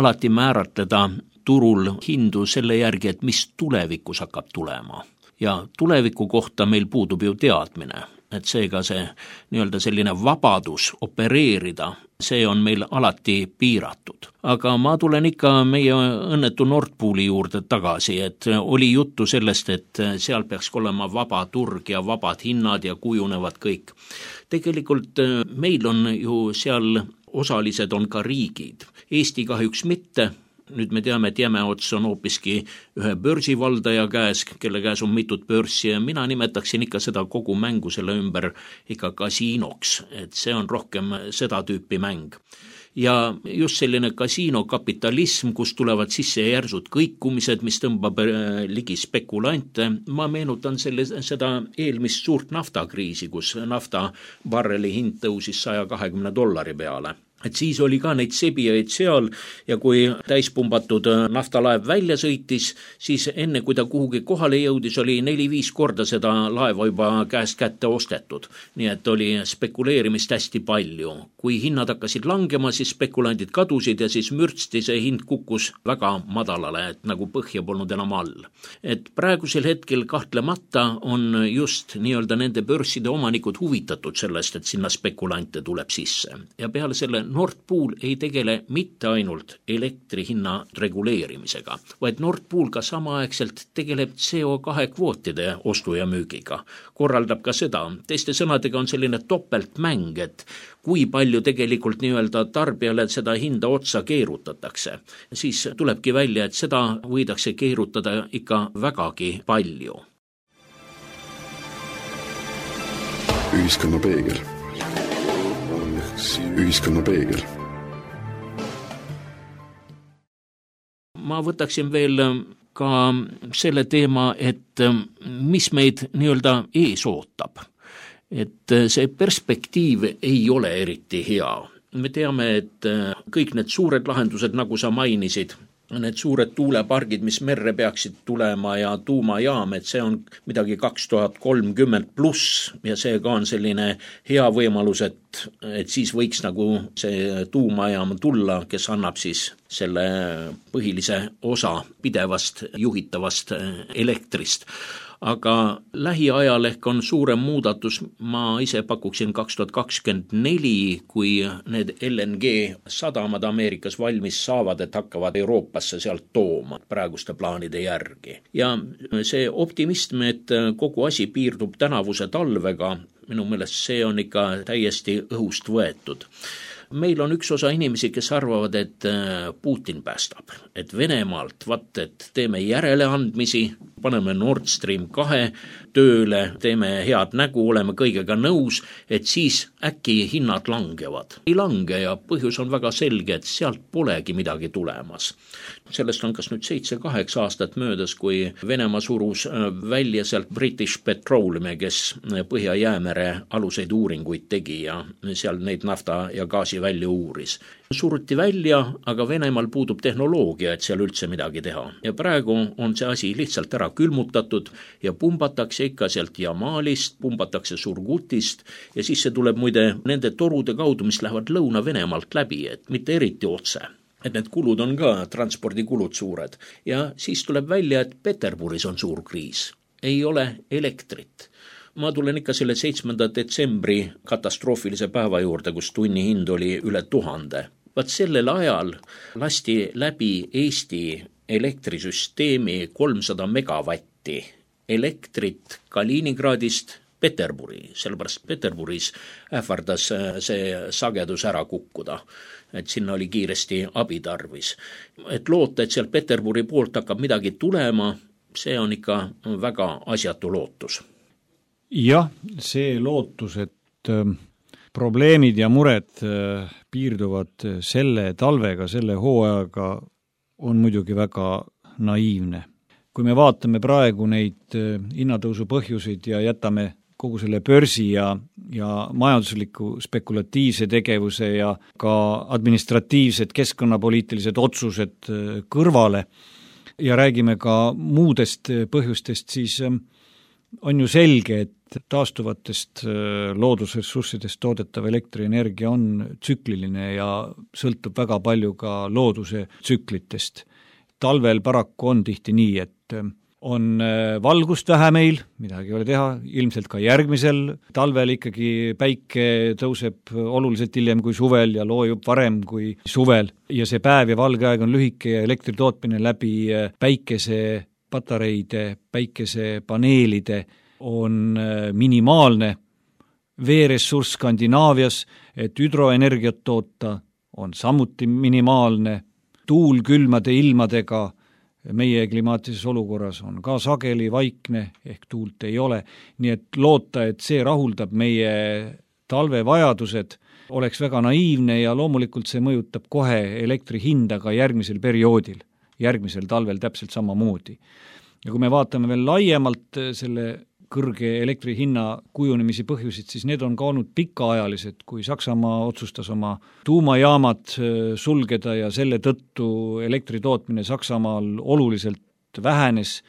alati määratleda turul hindu selle järgi, et mis tulevikus hakkab tulema. Ja tuleviku kohta meil puudub ju teadmine, et seega see nii-öelda selline vabadus opereerida, see on meil alati piiratud. Aga ma tulen ikka meie õnnetu Nord Pooli juurde tagasi, et oli juttu sellest, et seal peaks olema vaba turg ja vabad hinnad ja kujunevad kõik. Tegelikult meil on ju seal osalised on ka riigid. Eesti kahjuks mitte. Nüüd me teame, et Jämeots on hoopiski ühe börsivaldaja käes, kelle käes on mitut börsi ja mina nimetaksin ikka seda kogu mängu selle ümber ikka kasiinoks, et see on rohkem seda tüüpi mäng. Ja just selline kasiinokapitalism, kus tulevad sisse järsud kõikumised, mis tõmbab ligi spekulante. Ma meenutan seda eelmist suurt naftakriisi, kus nafta barreli hind tõusis $120 peale. Et siis oli ka neid sebijaid seal ja kui täispumbatud naftalaev välja sõitis, siis enne kui ta kuhugi kohale jõudis, oli 4-5 korda seda laeva juba käest kätte ostetud. Nii et oli spekuleerimist hästi palju. Kui hinnad hakkasid langema, siis spekulandid kadusid ja siis mürtsti see hind kukkus väga madalale, et nagu põhja polnud enam all. Et praegusel hetkel kahtlemata on just nii-öelda nende börside omanikud huvitatud sellest, et sinna spekulante tuleb sisse. Ja peale selle Nord Pool ei tegele mitte ainult elektrihinna reguleerimisega, vaid Nord Pool ka samaaegselt tegeleb CO2 kvootide ostu ja müügiga. Korraldab ka seda. Teiste sõnadega on selline topeltmäng, et kui palju tegelikult nii-öelda tarbijale seda hinda otsa keerutatakse. Siis tulebki välja, et seda võidakse keerutada ikka vägagi palju. Ühiskonna peegel. Ühiskonna peegel. Ma võtaksin veel ka selle teema, et mis meid nii-öelda ees ootab. Et see perspektiiv ei ole eriti hea. Me teame, et kõik need suured lahendused, nagu sa mainisid, need suured tuulepargid, mis merre peaksid tulema ja tuumajaam, et see on midagi 2030 pluss ja see ka on selline hea võimalus, et siis võiks nagu see tuumajaam tulla, kes annab siis selle põhilise osa pidevast juhitavast elektrist. Aga lähiajal ehk on suurem muudatus, ma ise pakuksin 2024, kui need LNG sadamad Ameerikas valmis saavad, et hakkavad Euroopasse sealt tooma praeguste plaanide järgi. Ja see optimism, et kogu asi piirdub tänavuse talvega, minu meelest see on ikka täiesti õhust võetud. Meil on üks osa inimesi, kes arvavad, et Putin päästab, et Venemaalt, et teeme järeleandmisi, paneme Nord Stream 2 tööle, teeme head nägu, oleme kõigega nõus, et siis äkki hinnad langevad. Ei lange ja põhjus on väga selge, et sealt polegi midagi tulemas. Sellest on kas nüüd 7-8 aastat möödas, kui Venemaa surus välja sealt British Petroleum, kes Põhja-Jäämere aluseid uuringuid tegi ja seal neid nafta ja gaasi välja uuris. Suruti välja, aga Venemaal puudub tehnoloogia, et seal üldse midagi teha. Ja praegu on see asi lihtsalt ära külmutatud ja pumbatakse ikka sealt Jamalist, pumbatakse Surgutist ja siis see tuleb muide nende torude kaudu, mis lähevad Lõuna-Venemaalt läbi, et mitte eriti otse. Et need kulud on ka, transpordikulud suured. Ja siis tuleb välja, et Peterburis on suur kriis. Ei ole elektrit. Ma tulen ikka selle 7. detsembri katastroofilise päeva juurde, kus tunni hind oli üle 1000. Vaat sellel ajal lasti läbi Eesti elektrisüsteemi 300 megavatti elektrit Kaliningradist Peterburi, sellepärast Peterburis ähvardas see sagedus ära kukkuda, et sinna oli kiiresti abi tarvis. Et loota, et sealt Peterburi poolt hakkab midagi tulema, see on ikka väga asjatu lootus. Jah, see lootus, et probleemid ja mured piirduvad selle talvega, selle hooajaga, on muidugi väga naiivne. Kui me vaatame praegu neid hinnatõusu põhjuseid ja jätame kogu selle börsi ja majandusliku spekulatiivse tegevuse ja ka administratiivsed keskkonnapoliitilised otsused kõrvale ja räägime ka muudest põhjustest, siis on ju selge, et taastuvatest loodusressurssidest toodetav elektrienergia on tsükliline ja sõltub väga palju ka looduse tsüklitest. Talvel paraku on tihti nii, et on valgust vähe meil, midagi ei ole teha, ilmselt ka järgmisel talvel ikkagi päike tõuseb oluliselt hiljem kui suvel ja loojub varem kui suvel ja see päev ja valge aeg on lühike ja elektritootmine läbi päikesepatareide, päikesepaneelide on minimaalne. Veeressurss Skandinaavias, et hüdroenergiat toota, on samuti minimaalne. Tuul külmade ilmadega meie klimaatilises olukorras on ka sageli vaikne, ehk tuult ei ole. Nii et loota, et see rahuldab meie talvevajadused, oleks väga naiivne ja loomulikult see mõjutab kohe elektri hinda ka järgmisel perioodil, järgmisel talvel täpselt samamoodi. Ja kui me vaatame veel laiemalt selle kõrge elektri hinna kujunemisi põhjusid, siis need on ka olnud pikaajalised, kui Saksamaa otsustas oma tuumajaamad sulgeda ja selle tõttu elektritootmine Saksamaal oluliselt vähenes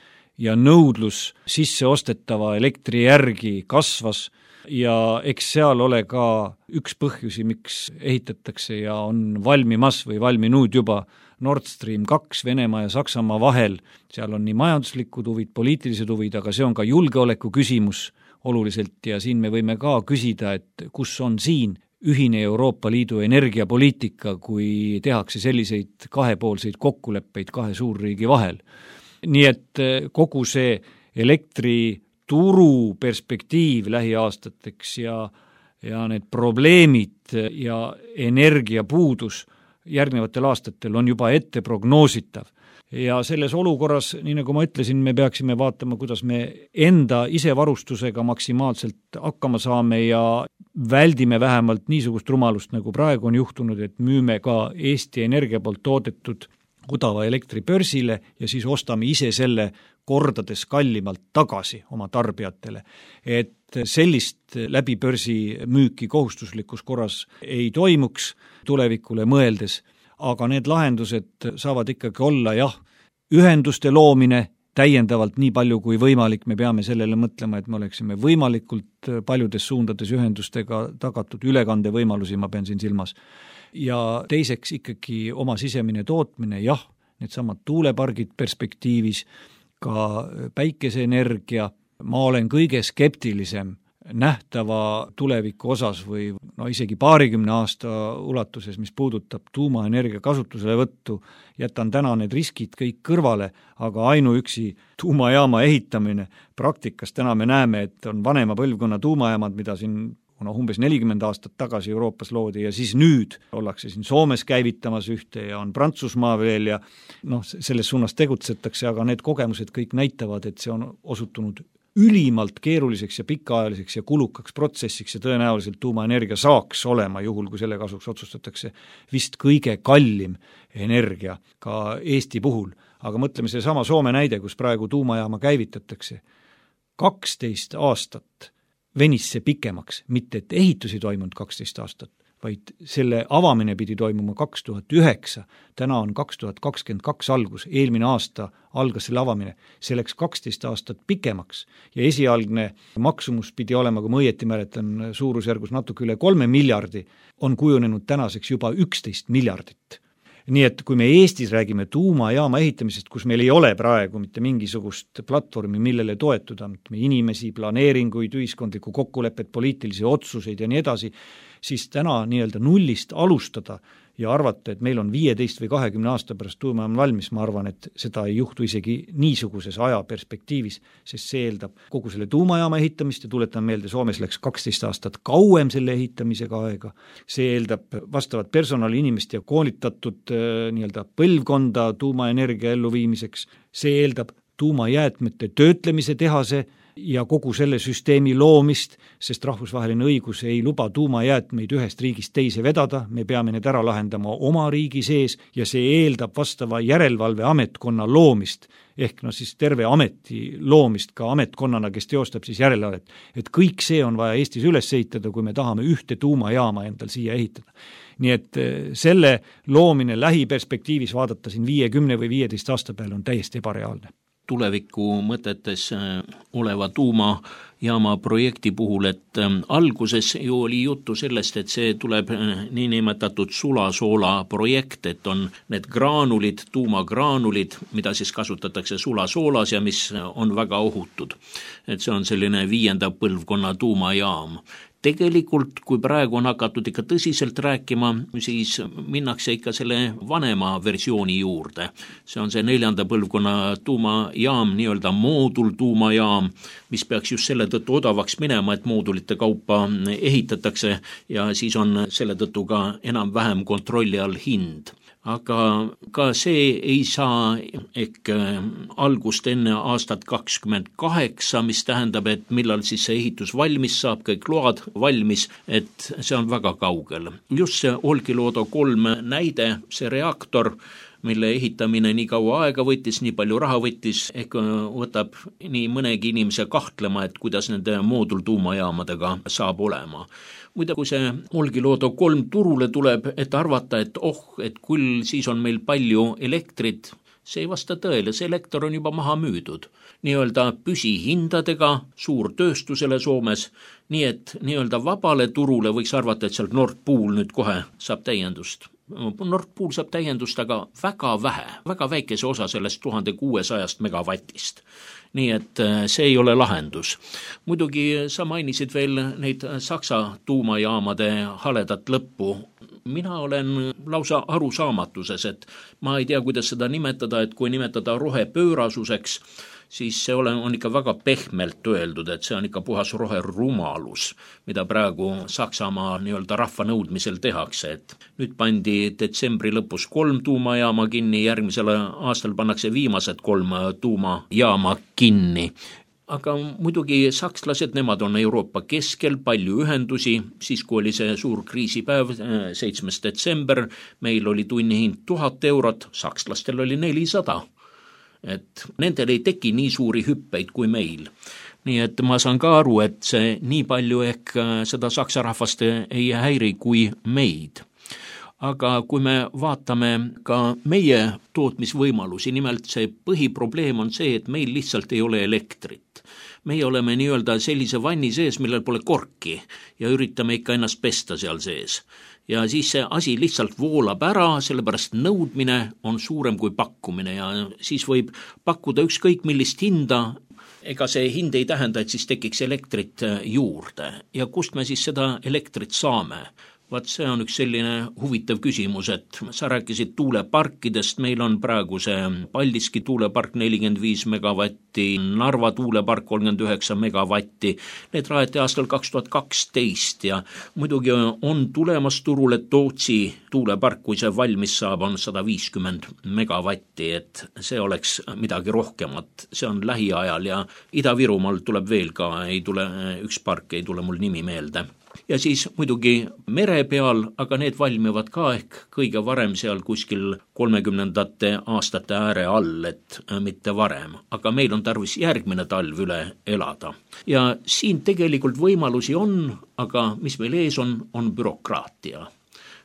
ja nõudlus sisseostetava elektri järgi kasvas ja eks seal ole ka üks põhjusi, miks ehitatakse ja on valmimas või valminud juba Nord Stream 2 Venemaa ja Saksamaa vahel. Seal on nii majanduslikud huvid, poliitilised huvid, aga see on ka julgeoleku küsimus oluliselt ja siin me võime ka küsida, et kus on siin ühine Euroopa Liidu energiapoliitika, kui tehakse selliseid kahepoolseid kokkuleppeid kahe suurriigi vahel. Nii et kogu see elektrituru perspektiiv lähiaastateks ja need probleemid ja energiapuudus järgnevatel aastatel on juba ette prognoositav. Ja selles olukorras, nii nagu ma ütlesin, me peaksime vaatama, kuidas me enda isevarustusega maksimaalselt hakkama saame ja väldime vähemalt niisugust rumalust, nagu praegu on juhtunud, et müüme ka Eesti Energia poolt toodetud odava elektri börsile ja siis ostame ise selle kordades kallimalt tagasi oma tarbijatele. Et sellist läbi börsi müüki kohustuslikus korras ei toimuks tulevikule mõeldes, aga need lahendused saavad ikkagi olla ühenduste loomine täiendavalt nii palju kui võimalik, me peame sellele mõtlema, et me oleksime võimalikult paljudes suundades ühendustega tagatud ülekandevõimalusi, ma pean siin silmas. Ja teiseks ikkagi oma sisemine tootmine, needsamad tuulepargid perspektiivis, ka päikeseenergia, ma olen kõige skeptilisem nähtava tuleviku osas või isegi 20 aasta ulatuses, mis puudutab tuumaenergia kasutusele võttu, jätan täna need riskid kõik kõrvale, aga ainuüksi tuumajaama ehitamine praktikas täna me näeme, et on vanema põlvkonna tuumajaamad, mida siin kuna umbes 40 aastat tagasi Euroopas loodi ja siis nüüd ollakse siin Soomes käivitamas ühte ja on Prantsusmaa veel ja selles suunas tegutsetakse, aga need kogemused kõik näitavad, et see on osutunud ülimalt keeruliseks ja pikaajaliseks ja kulukaks protsessiks ja tõenäoliselt tuumaenergia saaks olema, juhul kui selle kasuks otsustatakse, vist kõige kallim energia ka Eesti puhul. Aga mõtleme see sama Soome näide, kus praegu tuumajaama käivitatakse. 12 aastat venis see pikemaks, mitte et ehitus ei toimunud 12 aastat, vaid selle avamine pidi toimuma 2009, täna on 2022 algus, eelmine aasta algas selle avamine, see läks 12 aastat pikemaks ja esialgne maksumus pidi olema, kui ma õieti mäletan, suurusjärgus natuke üle 3 miljardi, on kujunenud tänaseks juba 11 miljardit. Nii et kui me Eestis räägime tuumajaama ehitamisest, kus meil ei ole praegu mitte mingisugust platvormi, millele toetuda, inimesi, planeeringuid, ühiskondlikku kokkulepet, poliitilisi otsuseid ja nii edasi, siis täna nii-öelda nullist alustada ja arvata, et meil on 15 või 20 aasta pärast tuumajaam valmis, ma arvan, et seda ei juhtu isegi niisuguses ajaperspektiivis, sest see eeldab kogu selle tuumajaama ehitamist ja tuletan meelde, Soomes läks 12 aastat kauem selle ehitamisega aega, see eeldab vastavat personali inimest ja koolitatud nii-öelda põlvkonda tuumaenergia elluviimiseks, see eeldab tuumajäätmete töötlemise tehase ja kogu selle süsteemi loomist, sest rahvusvaheline õigus ei luba tuumajäätmeid ühest riigist teise vedada, me peame need ära lahendama oma riigi sees ja see eeldab vastava järelevalveametkonna loomist, ehk siis terve ameti loomist ka ametkonnana, kes teostab siis järelevalvet. Et kõik see on vaja Eestis üles ehitada, kui me tahame ühte tuumajaama endal siia ehitada. Nii et selle loomine lähiperspektiivis vaadata siin 50 või 15 aasta peale on täiesti ebareaalne. Tuleviku mõtetes oleva tuumajaama projekti puhul, et alguses ju oli juttu sellest, et see tuleb niinimetatud sulasoola projekt, et on need graanulid, tuumagraanulid, mida siis kasutatakse sulasoolas ja mis on väga ohutud. Et see on selline 5. põlvkonna tuumajaam. Tegelikult, kui praegu on hakatud ikka tõsiselt rääkima, siis minnakse ikka selle vanema versiooni juurde. See on see 4. põlvkonna tuumajaam, nii-öelda moodultuumajaam, mis peaks just selle tõttu odavaks minema, et moodulite kaupa ehitatakse ja siis on selle tõttu ka enam-vähem kontrolli all hind. Aga ka see ei saa ehk algust enne aastat 28, mis tähendab, et millal siis see ehitus valmis saab, kõik load valmis, et see on väga kaugel. Just see Olkiluoto 3 näide, see reaktor, mille ehitamine nii kaua aega võttis, nii palju raha võttis, ehk võtab nii mõnegi inimese kahtlema, et kuidas nende moodultuumajaamadega saab olema. Muide, kui see Olkiluoto 3 turule tuleb, et arvata, et küll siis on meil palju elektrit, see ei vasta tõele, see elekter on juba maha müüdud. Nii-öelda püsihindadega suurtööstusele Soomes, nii et nii-öelda vabale turule võiks arvata, et sealt Nord Pool nüüd kohe saab täiendust. Nord Pool saab täiendust, aga väga vähe, väga väikese osa sellest 1600 megavatist. Nii et see ei ole lahendus. Muidugi sa mainisid veel neid Saksa tuumajaamade haledat lõppu. Mina olen lausa arusaamatuses, et ma ei tea, kuidas seda nimetada, et kui nimetada rohepöörasuseks, siis see on ikka väga pehmelt öeldud, et see on ikka puhas roherumalus, mida praegu Saksamaa nii-öelda rahva nõudmisel tehakse. Et nüüd pandi detsembri lõpus 3 tuumajaama kinni, järgmisel aastal pannakse viimased 3 tuumajaama kinni. Aga muidugi sakslased, nemad on Euroopa keskel, palju ühendusi, siis kui oli see suur kriisipäev, 7. detsember, meil oli tunnihind 1000 eurot, sakslastel oli 400. Et nendel ei teki nii suuri hüppeid kui meil. Nii et ma saan ka aru, et see nii palju ehk seda saksa rahvast ei häiri kui meid. Aga kui me vaatame ka meie tootmisvõimalusi, nimelt see põhiprobleem on see, et meil lihtsalt ei ole elektrit. Meie oleme nii-öelda sellise vanni sees, millel pole korki ja üritame ikka ennast pesta seal sees. Ja siis see asi lihtsalt voolab ära, sellepärast nõudmine on suurem kui pakkumine ja siis võib pakkuda ükskõik millist hinda. Ega see hind ei tähenda, et siis tekiks elektrit juurde. Ja kust me siis seda elektrit saame? Vaat see on üks selline huvitav küsimus, et sa rääkisid tuuleparkidest, meil on praegu see Paldiski tuulepark 45 megavatti, Narva tuulepark 39 megavatti, need rajati aastal 2012 ja muidugi on tulemas turule Tootsi tuulepark, kui see valmis saab, on 150 megavatti, et see oleks midagi rohkemat, see on lähiajal ja Ida-Virumaal tuleb veel ka, üks park ei tule mul nimi meelde. Ja siis muidugi mere peal, aga need valmivad ka ehk kõige varem seal kuskil 30ndate aastate ääre all, et mitte varem. Aga meil on tarvis järgmine talv üle elada. Ja siin tegelikult võimalusi on, aga mis meil ees on bürokraatia.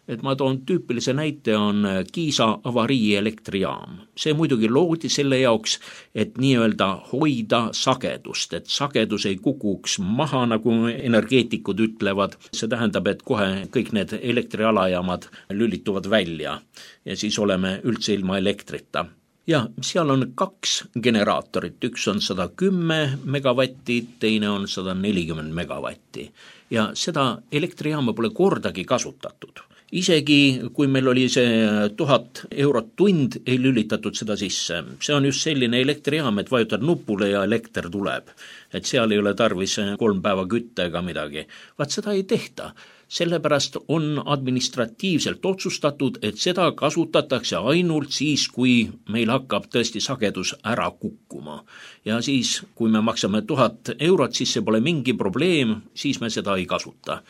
Et ma toon tüüpilise näite on Kiisa avarii elektrijaam. See muidugi loodi selle jaoks, et nii-öelda hoida sagedust, et sagedus ei kukuks maha, nagu energeetikud ütlevad. See tähendab, et kohe kõik need elektrialajaamad lülituvad välja ja siis oleme üldse ilma elektrita. Ja seal on 2 generaatorit, üks on 110 megavatti, teine on 140 megavatti. Ja seda elektrijaama pole kordagi kasutatud. Isegi kui meil oli see 1000 eurot tund, ei lülitatud seda sisse. See on just selline elektrijaam, et vajutad nupule ja elekter tuleb. Et seal ei ole tarvis 3 päeva kütte ega midagi. Vaat seda ei tehta. Sellepärast on administratiivselt otsustatud, et seda kasutatakse ainult siis, kui meil hakkab tõesti sagedus ära kukkuma. Ja siis, kui me maksame 1000 eurot, siis see pole mingi probleem, siis me seda ei kasuta.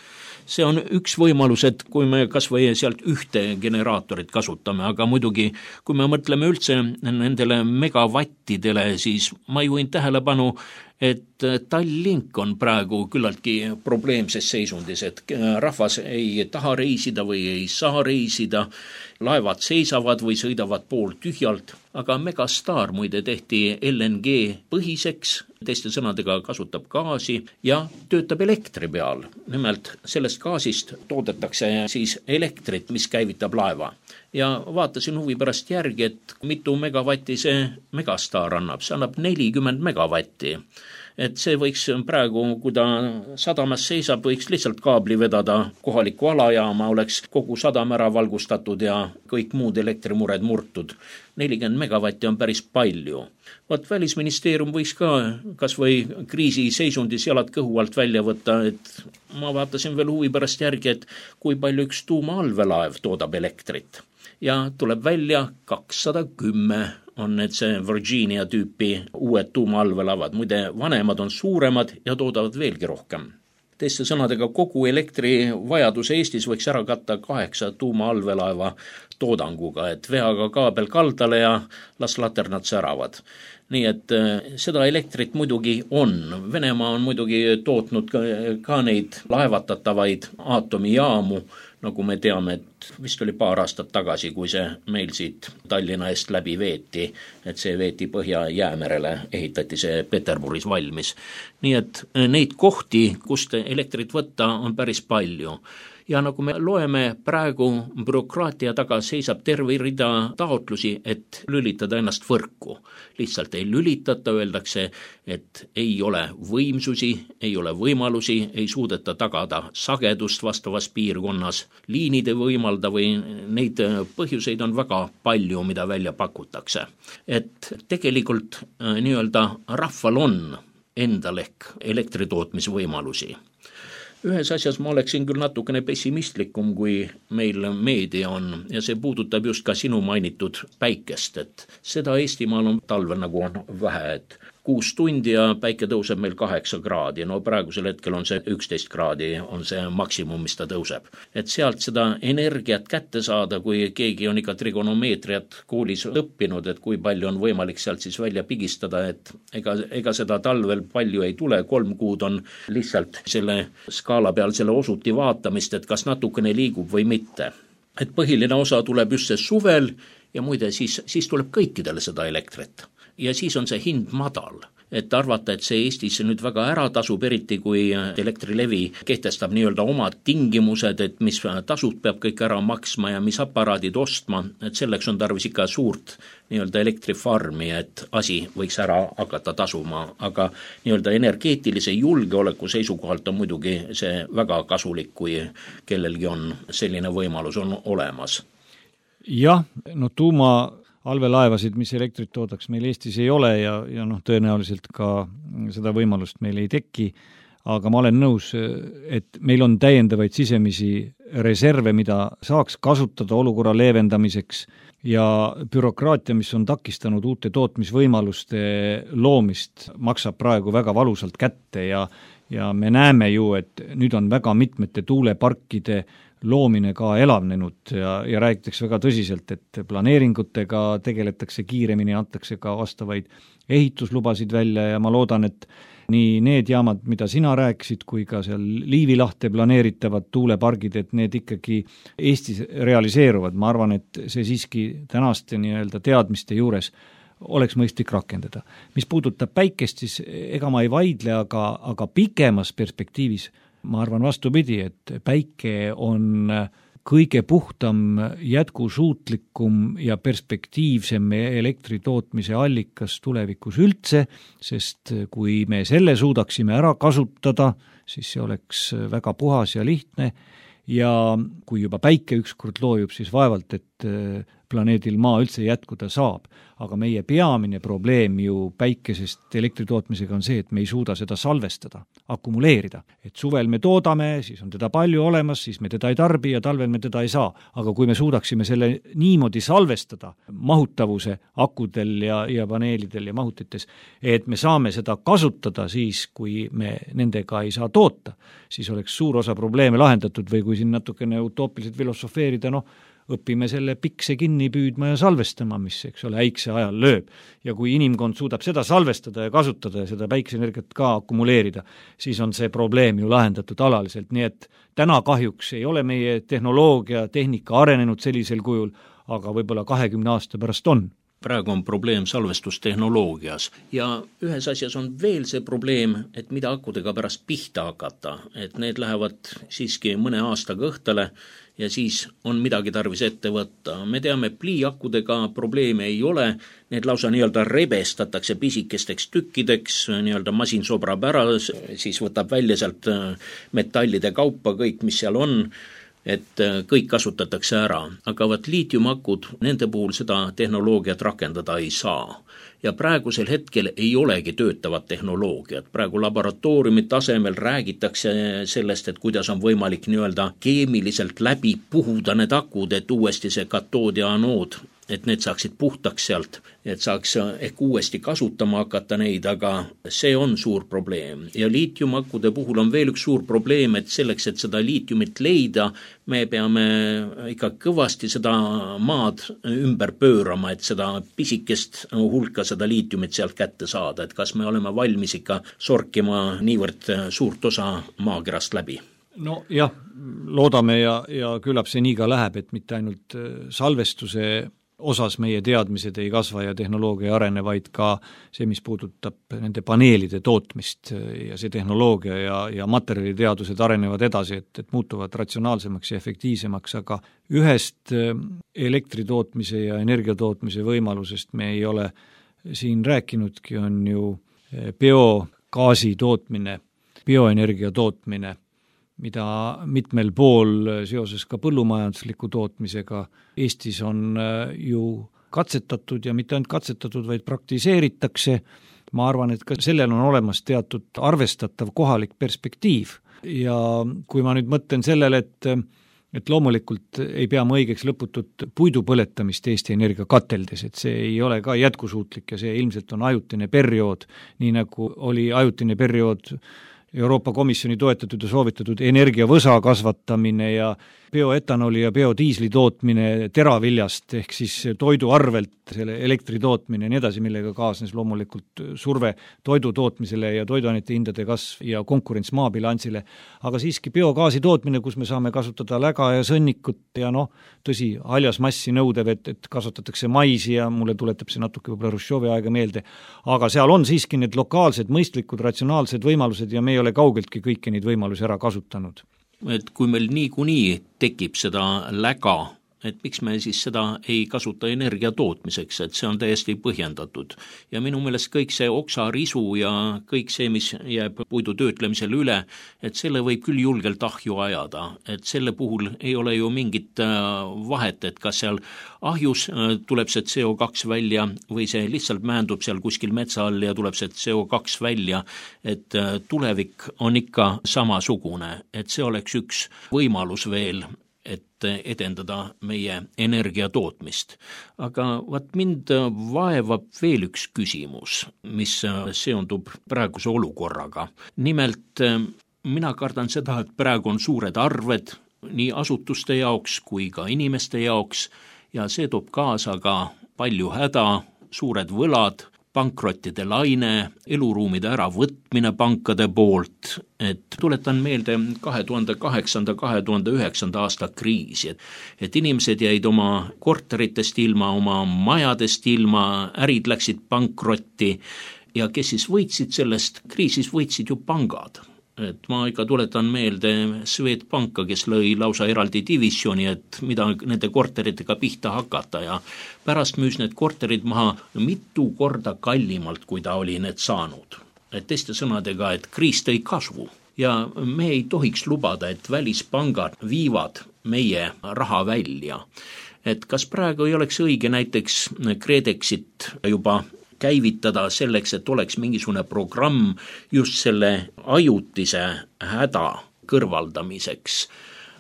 See on üks võimalus, et kui me kas või sealt ühte generaatorit kasutame, aga muidugi, kui me mõtleme üldse nendele megavattidele, siis ma juhin tähelepanu, et Tallink on praegu küllaltki probleemses seisundis, et rahvas ei taha reisida või ei saa reisida, laevad seisavad või sõidavad pool tühjalt, aga Megastar muide tehti LNG põhiseks, teiste sõnadega kasutab gaasi ja töötab elektri peal. Nimelt sellest gaasist toodetakse siis elektrit, mis käivitab laeva. Ja vaatasin huvi pärast järgi, et mitu megavatti see Megastar annab. See annab 40 megavatti. Et see võiks praegu, kui ta sadamas seisab, võiks lihtsalt kaabli vedada kohaliku alajaama, oleks kogu sadam ära valgustatud ja kõik muud elektrimured murtud. 40 megavatti on päris palju. Vaat Välisministeerium võiks ka kas või kriisi seisundis jalad kõhu alt välja võtta, et ma vaatasin veel huvi pärast järgi, et kui palju üks tuumaallveelaev toodab elektrit. Ja tuleb välja 210 on need see Virginia tüüpi uued tuumaallveelaevad. Muide, vanemad on suuremad ja toodavad veelgi rohkem. Teiste sõnadega kogu elektrivajadus Eestis võiks ära katta 8 tuumaallveelaeva toodanguga, et veaga kaabel kaldale ja las laternad säravad. Nii et seda elektrit muidugi on. Venemaa on muidugi tootnud ka neid laevatatavaid aatomijaamu, nagu me teame, et vist oli paar aastat tagasi, kui see meil siit Tallinna eest läbi veeti, et see veeti Põhja-Jäämerele, ehitati see Peterburis valmis. Nii et neid kohti, kust elektrit võtta, on päris palju. Ja nagu me loeme, praegu bürokraatia taga seisab terve rida taotlusi, et lülitada ennast võrku. Lihtsalt ei lülitata, öeldakse, et ei ole võimsusi, ei ole võimalusi, ei suudeta tagada sagedust vastavas piirkonnas, liinid ei võimalda või neid põhjuseid on väga palju, mida välja pakutakse. Et tegelikult nii-öelda rahval on endal ehk elektritootmisvõimalusi. Ühes asjas ma oleksin küll natukene pessimistlikum, kui meil meedia on, ja see puudutab just ka sinu mainitud päikest, et seda Eestimaal on talvel nagu on vähe, et 6 tundi ja päike tõuseb meil 8 kraadi, no praegusel hetkel on see 11 kraadi, on see maksimum, mis ta tõuseb. Et sealt seda energiat kätte saada, kui keegi on ikka trigonomeetriat koolis õppinud, et kui palju on võimalik sealt siis välja pigistada, et ega seda talvel palju ei tule, 3 kuud on lihtsalt selle skaala peal selle osuti vaatamist, et kas natukene liigub või mitte. Et põhiline osa tuleb just see suvel ja muide siis tuleb kõikidele seda elektrit. Ja siis on see hind madal. et arvata, et see Eestis nüüd väga ära tasub, eriti kui Elektrilevi kehtestab nii-öelda omad tingimused, et mis tasud peab kõik ära maksma ja mis aparaadid ostma, et selleks on tarvis ikka suurt nii-öelda elektrifarmi, et asi võiks ära hakata tasuma, aga nii-öelda energeetilise julgeoleku seisukohalt on muidugi see väga kasulik, kui kellelgi on selline võimalus on olemas. Jah, no tuumaallveelaevasid, mis elektrit toodaks, meil Eestis ei ole ja tõenäoliselt ka seda võimalust meil ei teki, aga ma olen nõus, et meil on täiendavaid sisemisi reserve, mida saaks kasutada olukorra leevendamiseks ja bürokraatia, mis on takistanud uute tootmisvõimaluste loomist, maksab praegu väga valusalt kätte ja me näeme ju, et nüüd on väga mitmete tuuleparkide loomine ka elavnenud ja räägitakse väga tõsiselt, et planeeringutega tegeletakse kiiremini, antakse ka vastavaid ehituslubasid välja ja ma loodan, et nii need jaamad, mida sina rääkisid, kui ka seal Liivi lahte planeeritavad tuulepargid, et need ikkagi Eestis realiseeruvad. Ma arvan, et see siiski tänaste nii-öelda teadmiste juures oleks mõistlik rakendada. Mis puudutab päikest, siis ega ma ei vaidle, aga pikemas perspektiivis ma arvan vastupidi, et päike on kõige puhtam, jätkusuutlikum ja perspektiivsem elektritootmise allikas tulevikus üldse, sest kui me selle suudaksime ära kasutada, siis see oleks väga puhas ja lihtne ja kui juba päike ükskord loojub, siis vaevalt, et planeedil Maa üldse jätkuda saab. Aga meie peamine probleem ju päikesest elektritootmisega on see, et me ei suuda seda salvestada, akumuleerida. Et suvel me toodame, siis on teda palju olemas, siis me teda ei tarbi ja talvel me teda ei saa. Aga kui me suudaksime selle niimoodi salvestada mahutavuse akudel ja paneelidel ja mahutites, et me saame seda kasutada siis, kui me nendega ei saa toota, siis oleks suur osa probleeme lahendatud või kui siin natukene utoopiliselt filosofeerida, õpime selle pikse kinni püüdma ja salvestama, mis, eks ole, äikse ajal lööb. Ja kui inimkond suudab seda salvestada ja kasutada ja seda päikeseenergiat ka akumuleerida, siis on see probleem ju lahendatud alaliselt. Nii et täna kahjuks ei ole meie tehnoloogia, tehnika arenenud sellisel kujul, aga võib-olla 20 aasta pärast on. Praegu on probleem salvestustehnoloogias ja ühes asjas on veel see probleem, et mida akudega pärast pihta hakata, et need lähevad siiski mõne aastaga õhtale ja siis on midagi tarvis ette võtta. Me teame, pliiakudega probleeme ei ole, need lausa nii-öelda rebestatakse pisikesteks tükkideks, nii-öelda masin sobrab ära, siis võtab välja sealt metallide kaupa kõik, mis seal on, et kõik kasutatakse ära, aga liitiumakud, nende puhul seda tehnoloogiat rakendada ei saa. Ja praegusel hetkel ei olegi töötavat tehnoloogiat. Praegu laboratooriumi tasemel räägitakse sellest, et kuidas on võimalik nii-öelda keemiliselt läbi puhuda need akud, et uuesti see katood ja anood, et need saaksid puhtaks sealt, et saaks ehk uuesti kasutama hakata neid, aga see on suur probleem. Ja liitiumakkude puhul on veel üks suur probleem, et selleks, et seda liitiumit leida, me peame ikka kõvasti seda maad ümber pöörama, et seda pisikest hulka seda liitiumit sealt kätte saada, et kas me oleme valmis ikka sorkima niivõrd suurt osa maakerast läbi. No jah, loodame ja küllap see nii ka läheb, et mitte ainult salvestuse osas meie teadmised ei kasva ja tehnoloogia ei arene, vaid ka see, mis puudutab nende paneelide tootmist ja see tehnoloogia ja materjaliteadused arenevad edasi, et muutuvad ratsionaalsemaks ja efektiivsemaks, aga ühest elektritootmise ja energiatootmise võimalusest me ei ole siin rääkinudki, on ju biogaasi tootmine, bioenergia tootmine, mida mitmel pool seoses ka põllumajandusliku tootmisega Eestis on ju katsetatud ja mitte ainult katsetatud, vaid praktiseeritakse. Ma arvan, et ka sellel on olemas teatud arvestatav kohalik perspektiiv ja kui ma nüüd mõtlen sellele, et loomulikult ei pea ma õigeks lõputut puidu põletamist Eesti Energia kateldes, et see ei ole ka jätkusuutlik ja see ilmselt on ajutine periood, nii nagu oli ajutine periood Euroopa Komisjoni toetatud ja soovitatud energiavõsa kasvatamine ja bioetanoli ja biodiisli tootmine teraviljast ehk siis toidu arvelt selle elektri tootmine ja nii edasi, millega kaasnes loomulikult surve toidu tootmisele ja toiduainete hindade kasv ja konkurents maabilansile, aga siiski biogaasi tootmine, kus me saame kasutada läga ja sõnnikut ja tõsi, haljas massi nõudev, et kasvatatakse maisi ja mulle tuletab see natuke võib-olla Hruštšovi aega meelde, aga seal on siiski need lokaalsed, mõistlikud, ratsionaalsed võimalused ja me ei ole kaugeltki kõiki neid võimalusi ära kasutanud. Et kui meil niikuinii tekib seda läga, et miks me siis seda ei kasuta energia tootmiseks, et see on täiesti põhjendatud. Ja minu meelest kõik see oksarisu ja kõik see, mis jääb puidu töötlemisel üle, et selle võib küll julgelt ahju ajada, et selle puhul ei ole ju mingit vahet, et kas seal ahjus tuleb see CO2 välja või see lihtsalt määndub seal kuskil metsa all ja tuleb see CO2 välja, et tulevik on ikka samasugune, et see oleks üks võimalus veel, et edendada meie energiatootmist. Aga mind vaevab veel üks küsimus, mis seondub praeguse olukorraga. Nimelt, mina kardan seda, et praegu on suured arved nii asutuste jaoks kui ka inimeste jaoks ja see toob kaasa ka palju häda, suured võlad, pankrottide laine, eluruumide äravõtmine pankade poolt, et tuletan meelde 2008-2009 aasta kriisi, et inimesed jäid oma korteritest ilma, oma majadest ilma, ärid läksid pankrotti ja kes siis võitsid sellest kriisis, võitsid ju pangad. Et ma ikka tuletan meelde Swedbanka, kes lõi lausa eraldi divisjoni, et mida nende korteritega pihta hakata ja pärast müüs need korterid maha mitu korda kallimalt, kui ta oli need saanud. Et teiste sõnadega, et kriis tõi kasvu ja me ei tohiks lubada, et välispangad viivad meie raha välja. Et kas praegu ei oleks õige näiteks KredExit juba käivitada selleks, et oleks mingisugune programm just selle ajutise häda kõrvaldamiseks,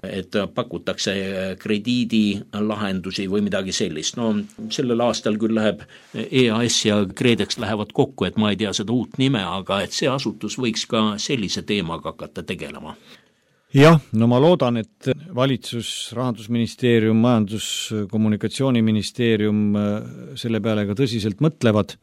et pakutakse krediidilahendusi või midagi sellist. Sellel aastal küll läheb EAS ja KredEx lähevad kokku, et ma ei tea seda uut nime, aga et see asutus võiks ka sellise teemaga hakata tegelema. Jah, ma loodan, et valitsus, Rahandusministeerium, Majandus-Kommunikatsiooniministeerium selle peale ka tõsiselt mõtlevad.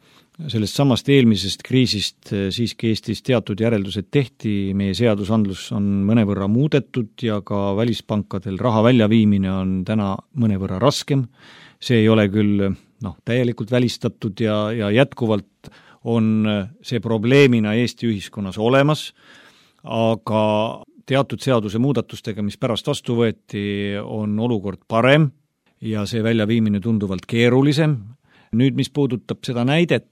Sellest samast eelmisest kriisist siiski Eestis teatud järeldused tehti, meie seadusandlus on mõnevõrra muudetud ja ka välispankadel raha väljaviimine on täna mõnevõrra raskem. See ei ole küll täielikult välistatud ja jätkuvalt on see probleemina Eesti ühiskonnas olemas, aga teatud seaduse muudatustega, mis pärast vastu võeti, on olukord parem ja see väljaviimine tunduvalt keerulisem. Nüüd, mis puudutab seda näidet,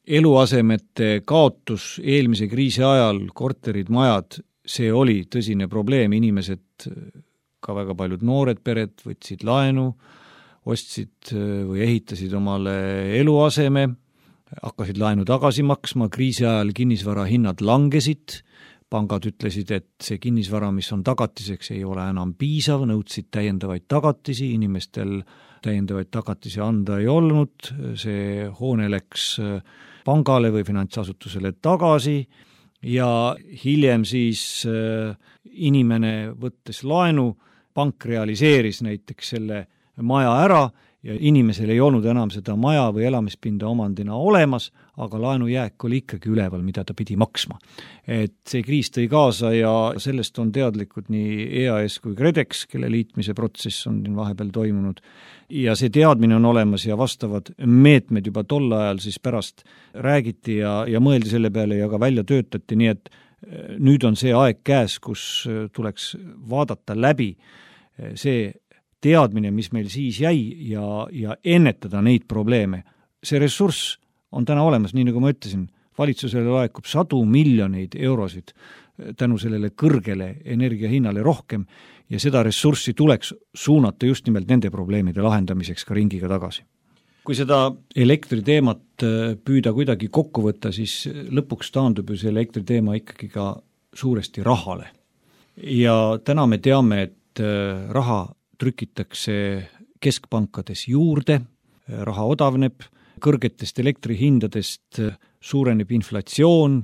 eluasemete kaotus eelmise kriisi ajal, korterid, majad, see oli tõsine probleem, inimesed, ka väga paljud noored pered võtsid laenu, ostsid või ehitasid omale eluaseme, hakkasid laenu tagasi maksma, kriisi ajal kinnisvara hinnad langesid, pangad ütlesid, et see kinnisvara, mis on tagatiseks, ei ole enam piisav, nõudsid täiendavaid tagatisi, inimestel täiendavaid tagatisi anda ei olnud, see hoone läks pangale või finantsasutusele tagasi ja hiljem siis inimene võttes laenu, pank realiseeris näiteks selle maja ära ja inimesel ei olnud enam seda maja või elamispinda omandina olemas, aga laenujääk oli ikkagi üleval, mida ta pidi maksma. Et see kriis tõi kaasa ja sellest on teadlikud nii EAS kui KredEx, kelle liitmise protsess on vahepeal toimunud. Ja see teadmine on olemas ja vastavad meetmed juba tol ajal siis pärast räägiti ja mõeldi selle peale ja ka välja töötati, nii et nüüd on see aeg käes, kus tuleks vaadata läbi see teadmine, mis meil siis jäi ja ennetada neid probleeme. See ressurss on täna olemas, nii nagu ma ütlesin, valitsusele laekub 100 miljoneid eurosid tänu sellele kõrgele energiahinnale rohkem ja seda ressurssi tuleks suunata just nimelt nende probleemide lahendamiseks ka ringiga tagasi. Kui seda elektriteemat püüda kuidagi kokku võtta, siis lõpuks taandub ju see elektriteema ikkagi ka suuresti rahale. Ja täna me teame, et raha trükitakse keskpankades juurde, raha odavneb, kõrgetest elektrihindadest suureneb inflatsioon,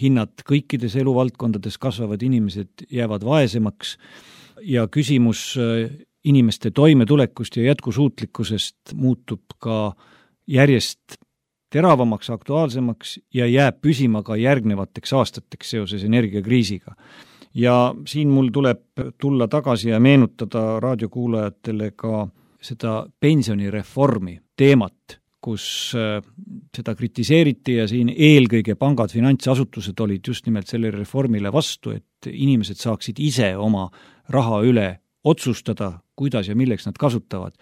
hinnad kõikides eluvaldkondades kasvavad, inimesed jäävad vaesemaks ja küsimus inimeste toimetulekust ja jätkusuutlikkusest muutub ka järjest teravamaks, aktuaalsemaks ja jääb püsima ka järgnevateks aastateks seoses energiakriisiga. Ja siin mul tuleb tulla tagasi ja meenutada raadiokuulajatele ka seda pensionireformi teemat, kus seda kritiseeriti ja siin eelkõige pangad, finantsasutused olid just nimelt selle reformile vastu, et inimesed saaksid ise oma raha üle otsustada, kuidas ja milleks nad kasutavad.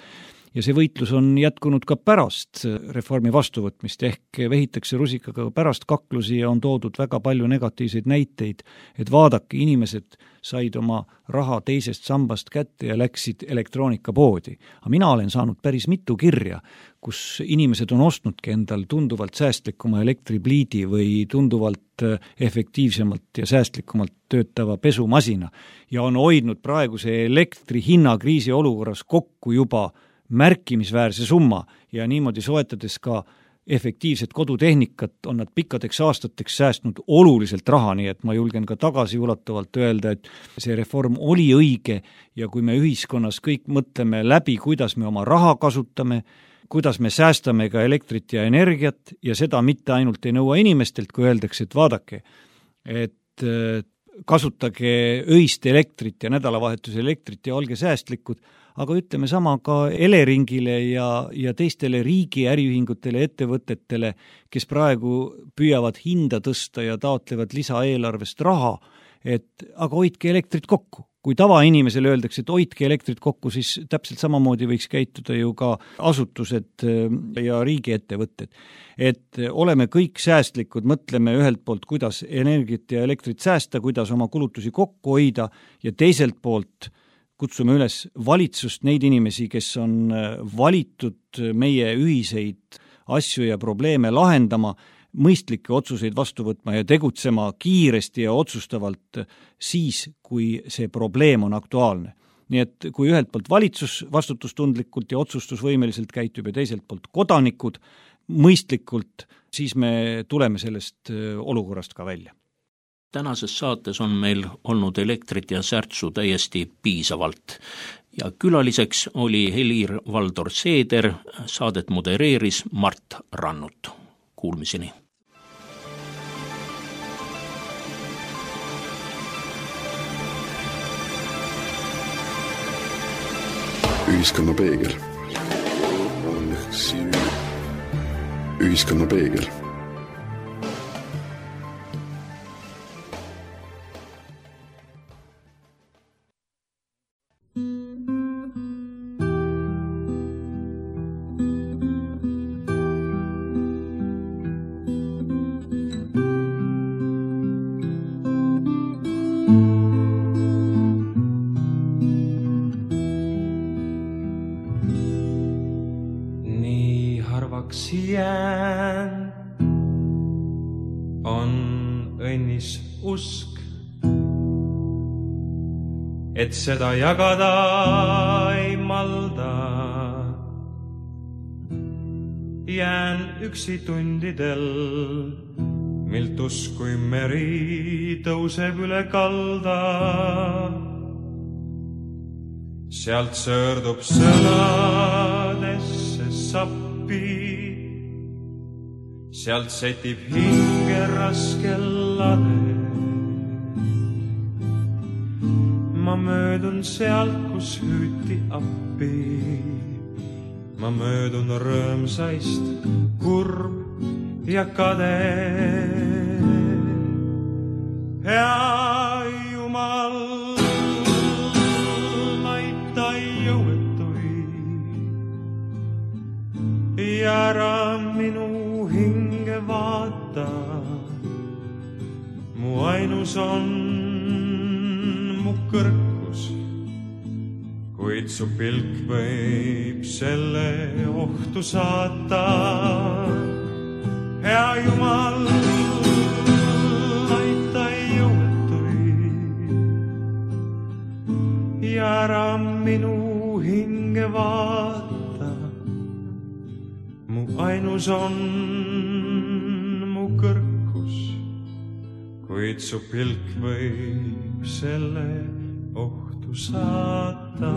Ja see võitlus on jätkunud ka pärast reformi vastuvõtmist, ehk vehitakse rusikaga pärast kaklusi ja on toodud väga palju negatiivseid näiteid, et vaadake, inimesed said oma raha teisest sambast kätte ja läksid elektroonikapoodi. Aga mina olen saanud päris mitu kirja, kus inimesed on ostnudki endal tunduvalt säästlikuma elektripliidi või tunduvalt efektiivsemalt ja säästlikumalt töötava pesumasina ja on hoidnud praeguse elektri hinnakriisi olukorras kokku juba märkimisväärse summa ja niimoodi soetades ka efektiivset kodutehnikat on nad pikkadeks aastateks säästnud oluliselt raha, nii et ma julgen ka tagasiulatuvalt öelda, et see reform oli õige ja kui me ühiskonnas kõik mõtleme läbi, kuidas me oma raha kasutame, kuidas me säästame ka elektrit ja energiat ja seda mitte ainult ei nõua inimestelt, kui öeldakse, et vaadake, et kasutage öist elektrit ja nädalavahetuse elektrit ja olge säästlikud, aga ütleme sama ka Eleringile ja teistele riigi äriühingutele, ettevõtetele, kes praegu püüavad hinda tõsta ja taotlevad lisaeelarvest raha, et aga hoidke elektrit kokku. Kui tavainimesele öeldakse, et hoidke elektrit kokku, siis täpselt samamoodi võiks käituda ju ka asutused ja riigiettevõtted. Et oleme kõik säästlikud, mõtleme ühelt poolt, kuidas energiat ja elektrit säästa, kuidas oma kulutusi kokku hoida ja teiselt poolt kutsume üles valitsust, neid inimesi, kes on valitud meie ühiseid asju ja probleeme lahendama, mõistlikke otsuseid vastu võtma ja tegutsema kiiresti ja otsustavalt siis, kui see probleem on aktuaalne. Nii et kui ühelt poolt valitsus vastutustundlikult ja otsustusvõimeliselt käitub ja teiselt poolt kodanikud mõistlikult, siis me tuleme sellest olukorrast ka välja. Tänases saates on meil olnud elektrit ja särtsu täiesti piisavalt ja külaliseks oli Helir-Valdor Seeder, saadet modereeris Mart Rannut. Kuulmiseni. Ühiskonna peegel. Ühiskonna peegel. Jään on õnnis usk, et seda jagada ei malda. Jään üksi tundidel, milt uskui meri tõuseb üle kalda. Sealt sõrdub sõnadesse sappi, sealt setib hinge raske lade. Ma möödun sealt, kus hüüti appi. Ma möödun rõõmsaist, kurb ja kade. Hea Jumal, aita jõuetuid ja ära minu hinge vaata. Mu ainus on mu kõrkus, kuid su pilk võib selle ohtu saata. Hea Jumal, aita jõuetuid ja ära minu hinge vaata. Mu ainus on mu kõrkus, kuid su pilk võib selle ohtu saata.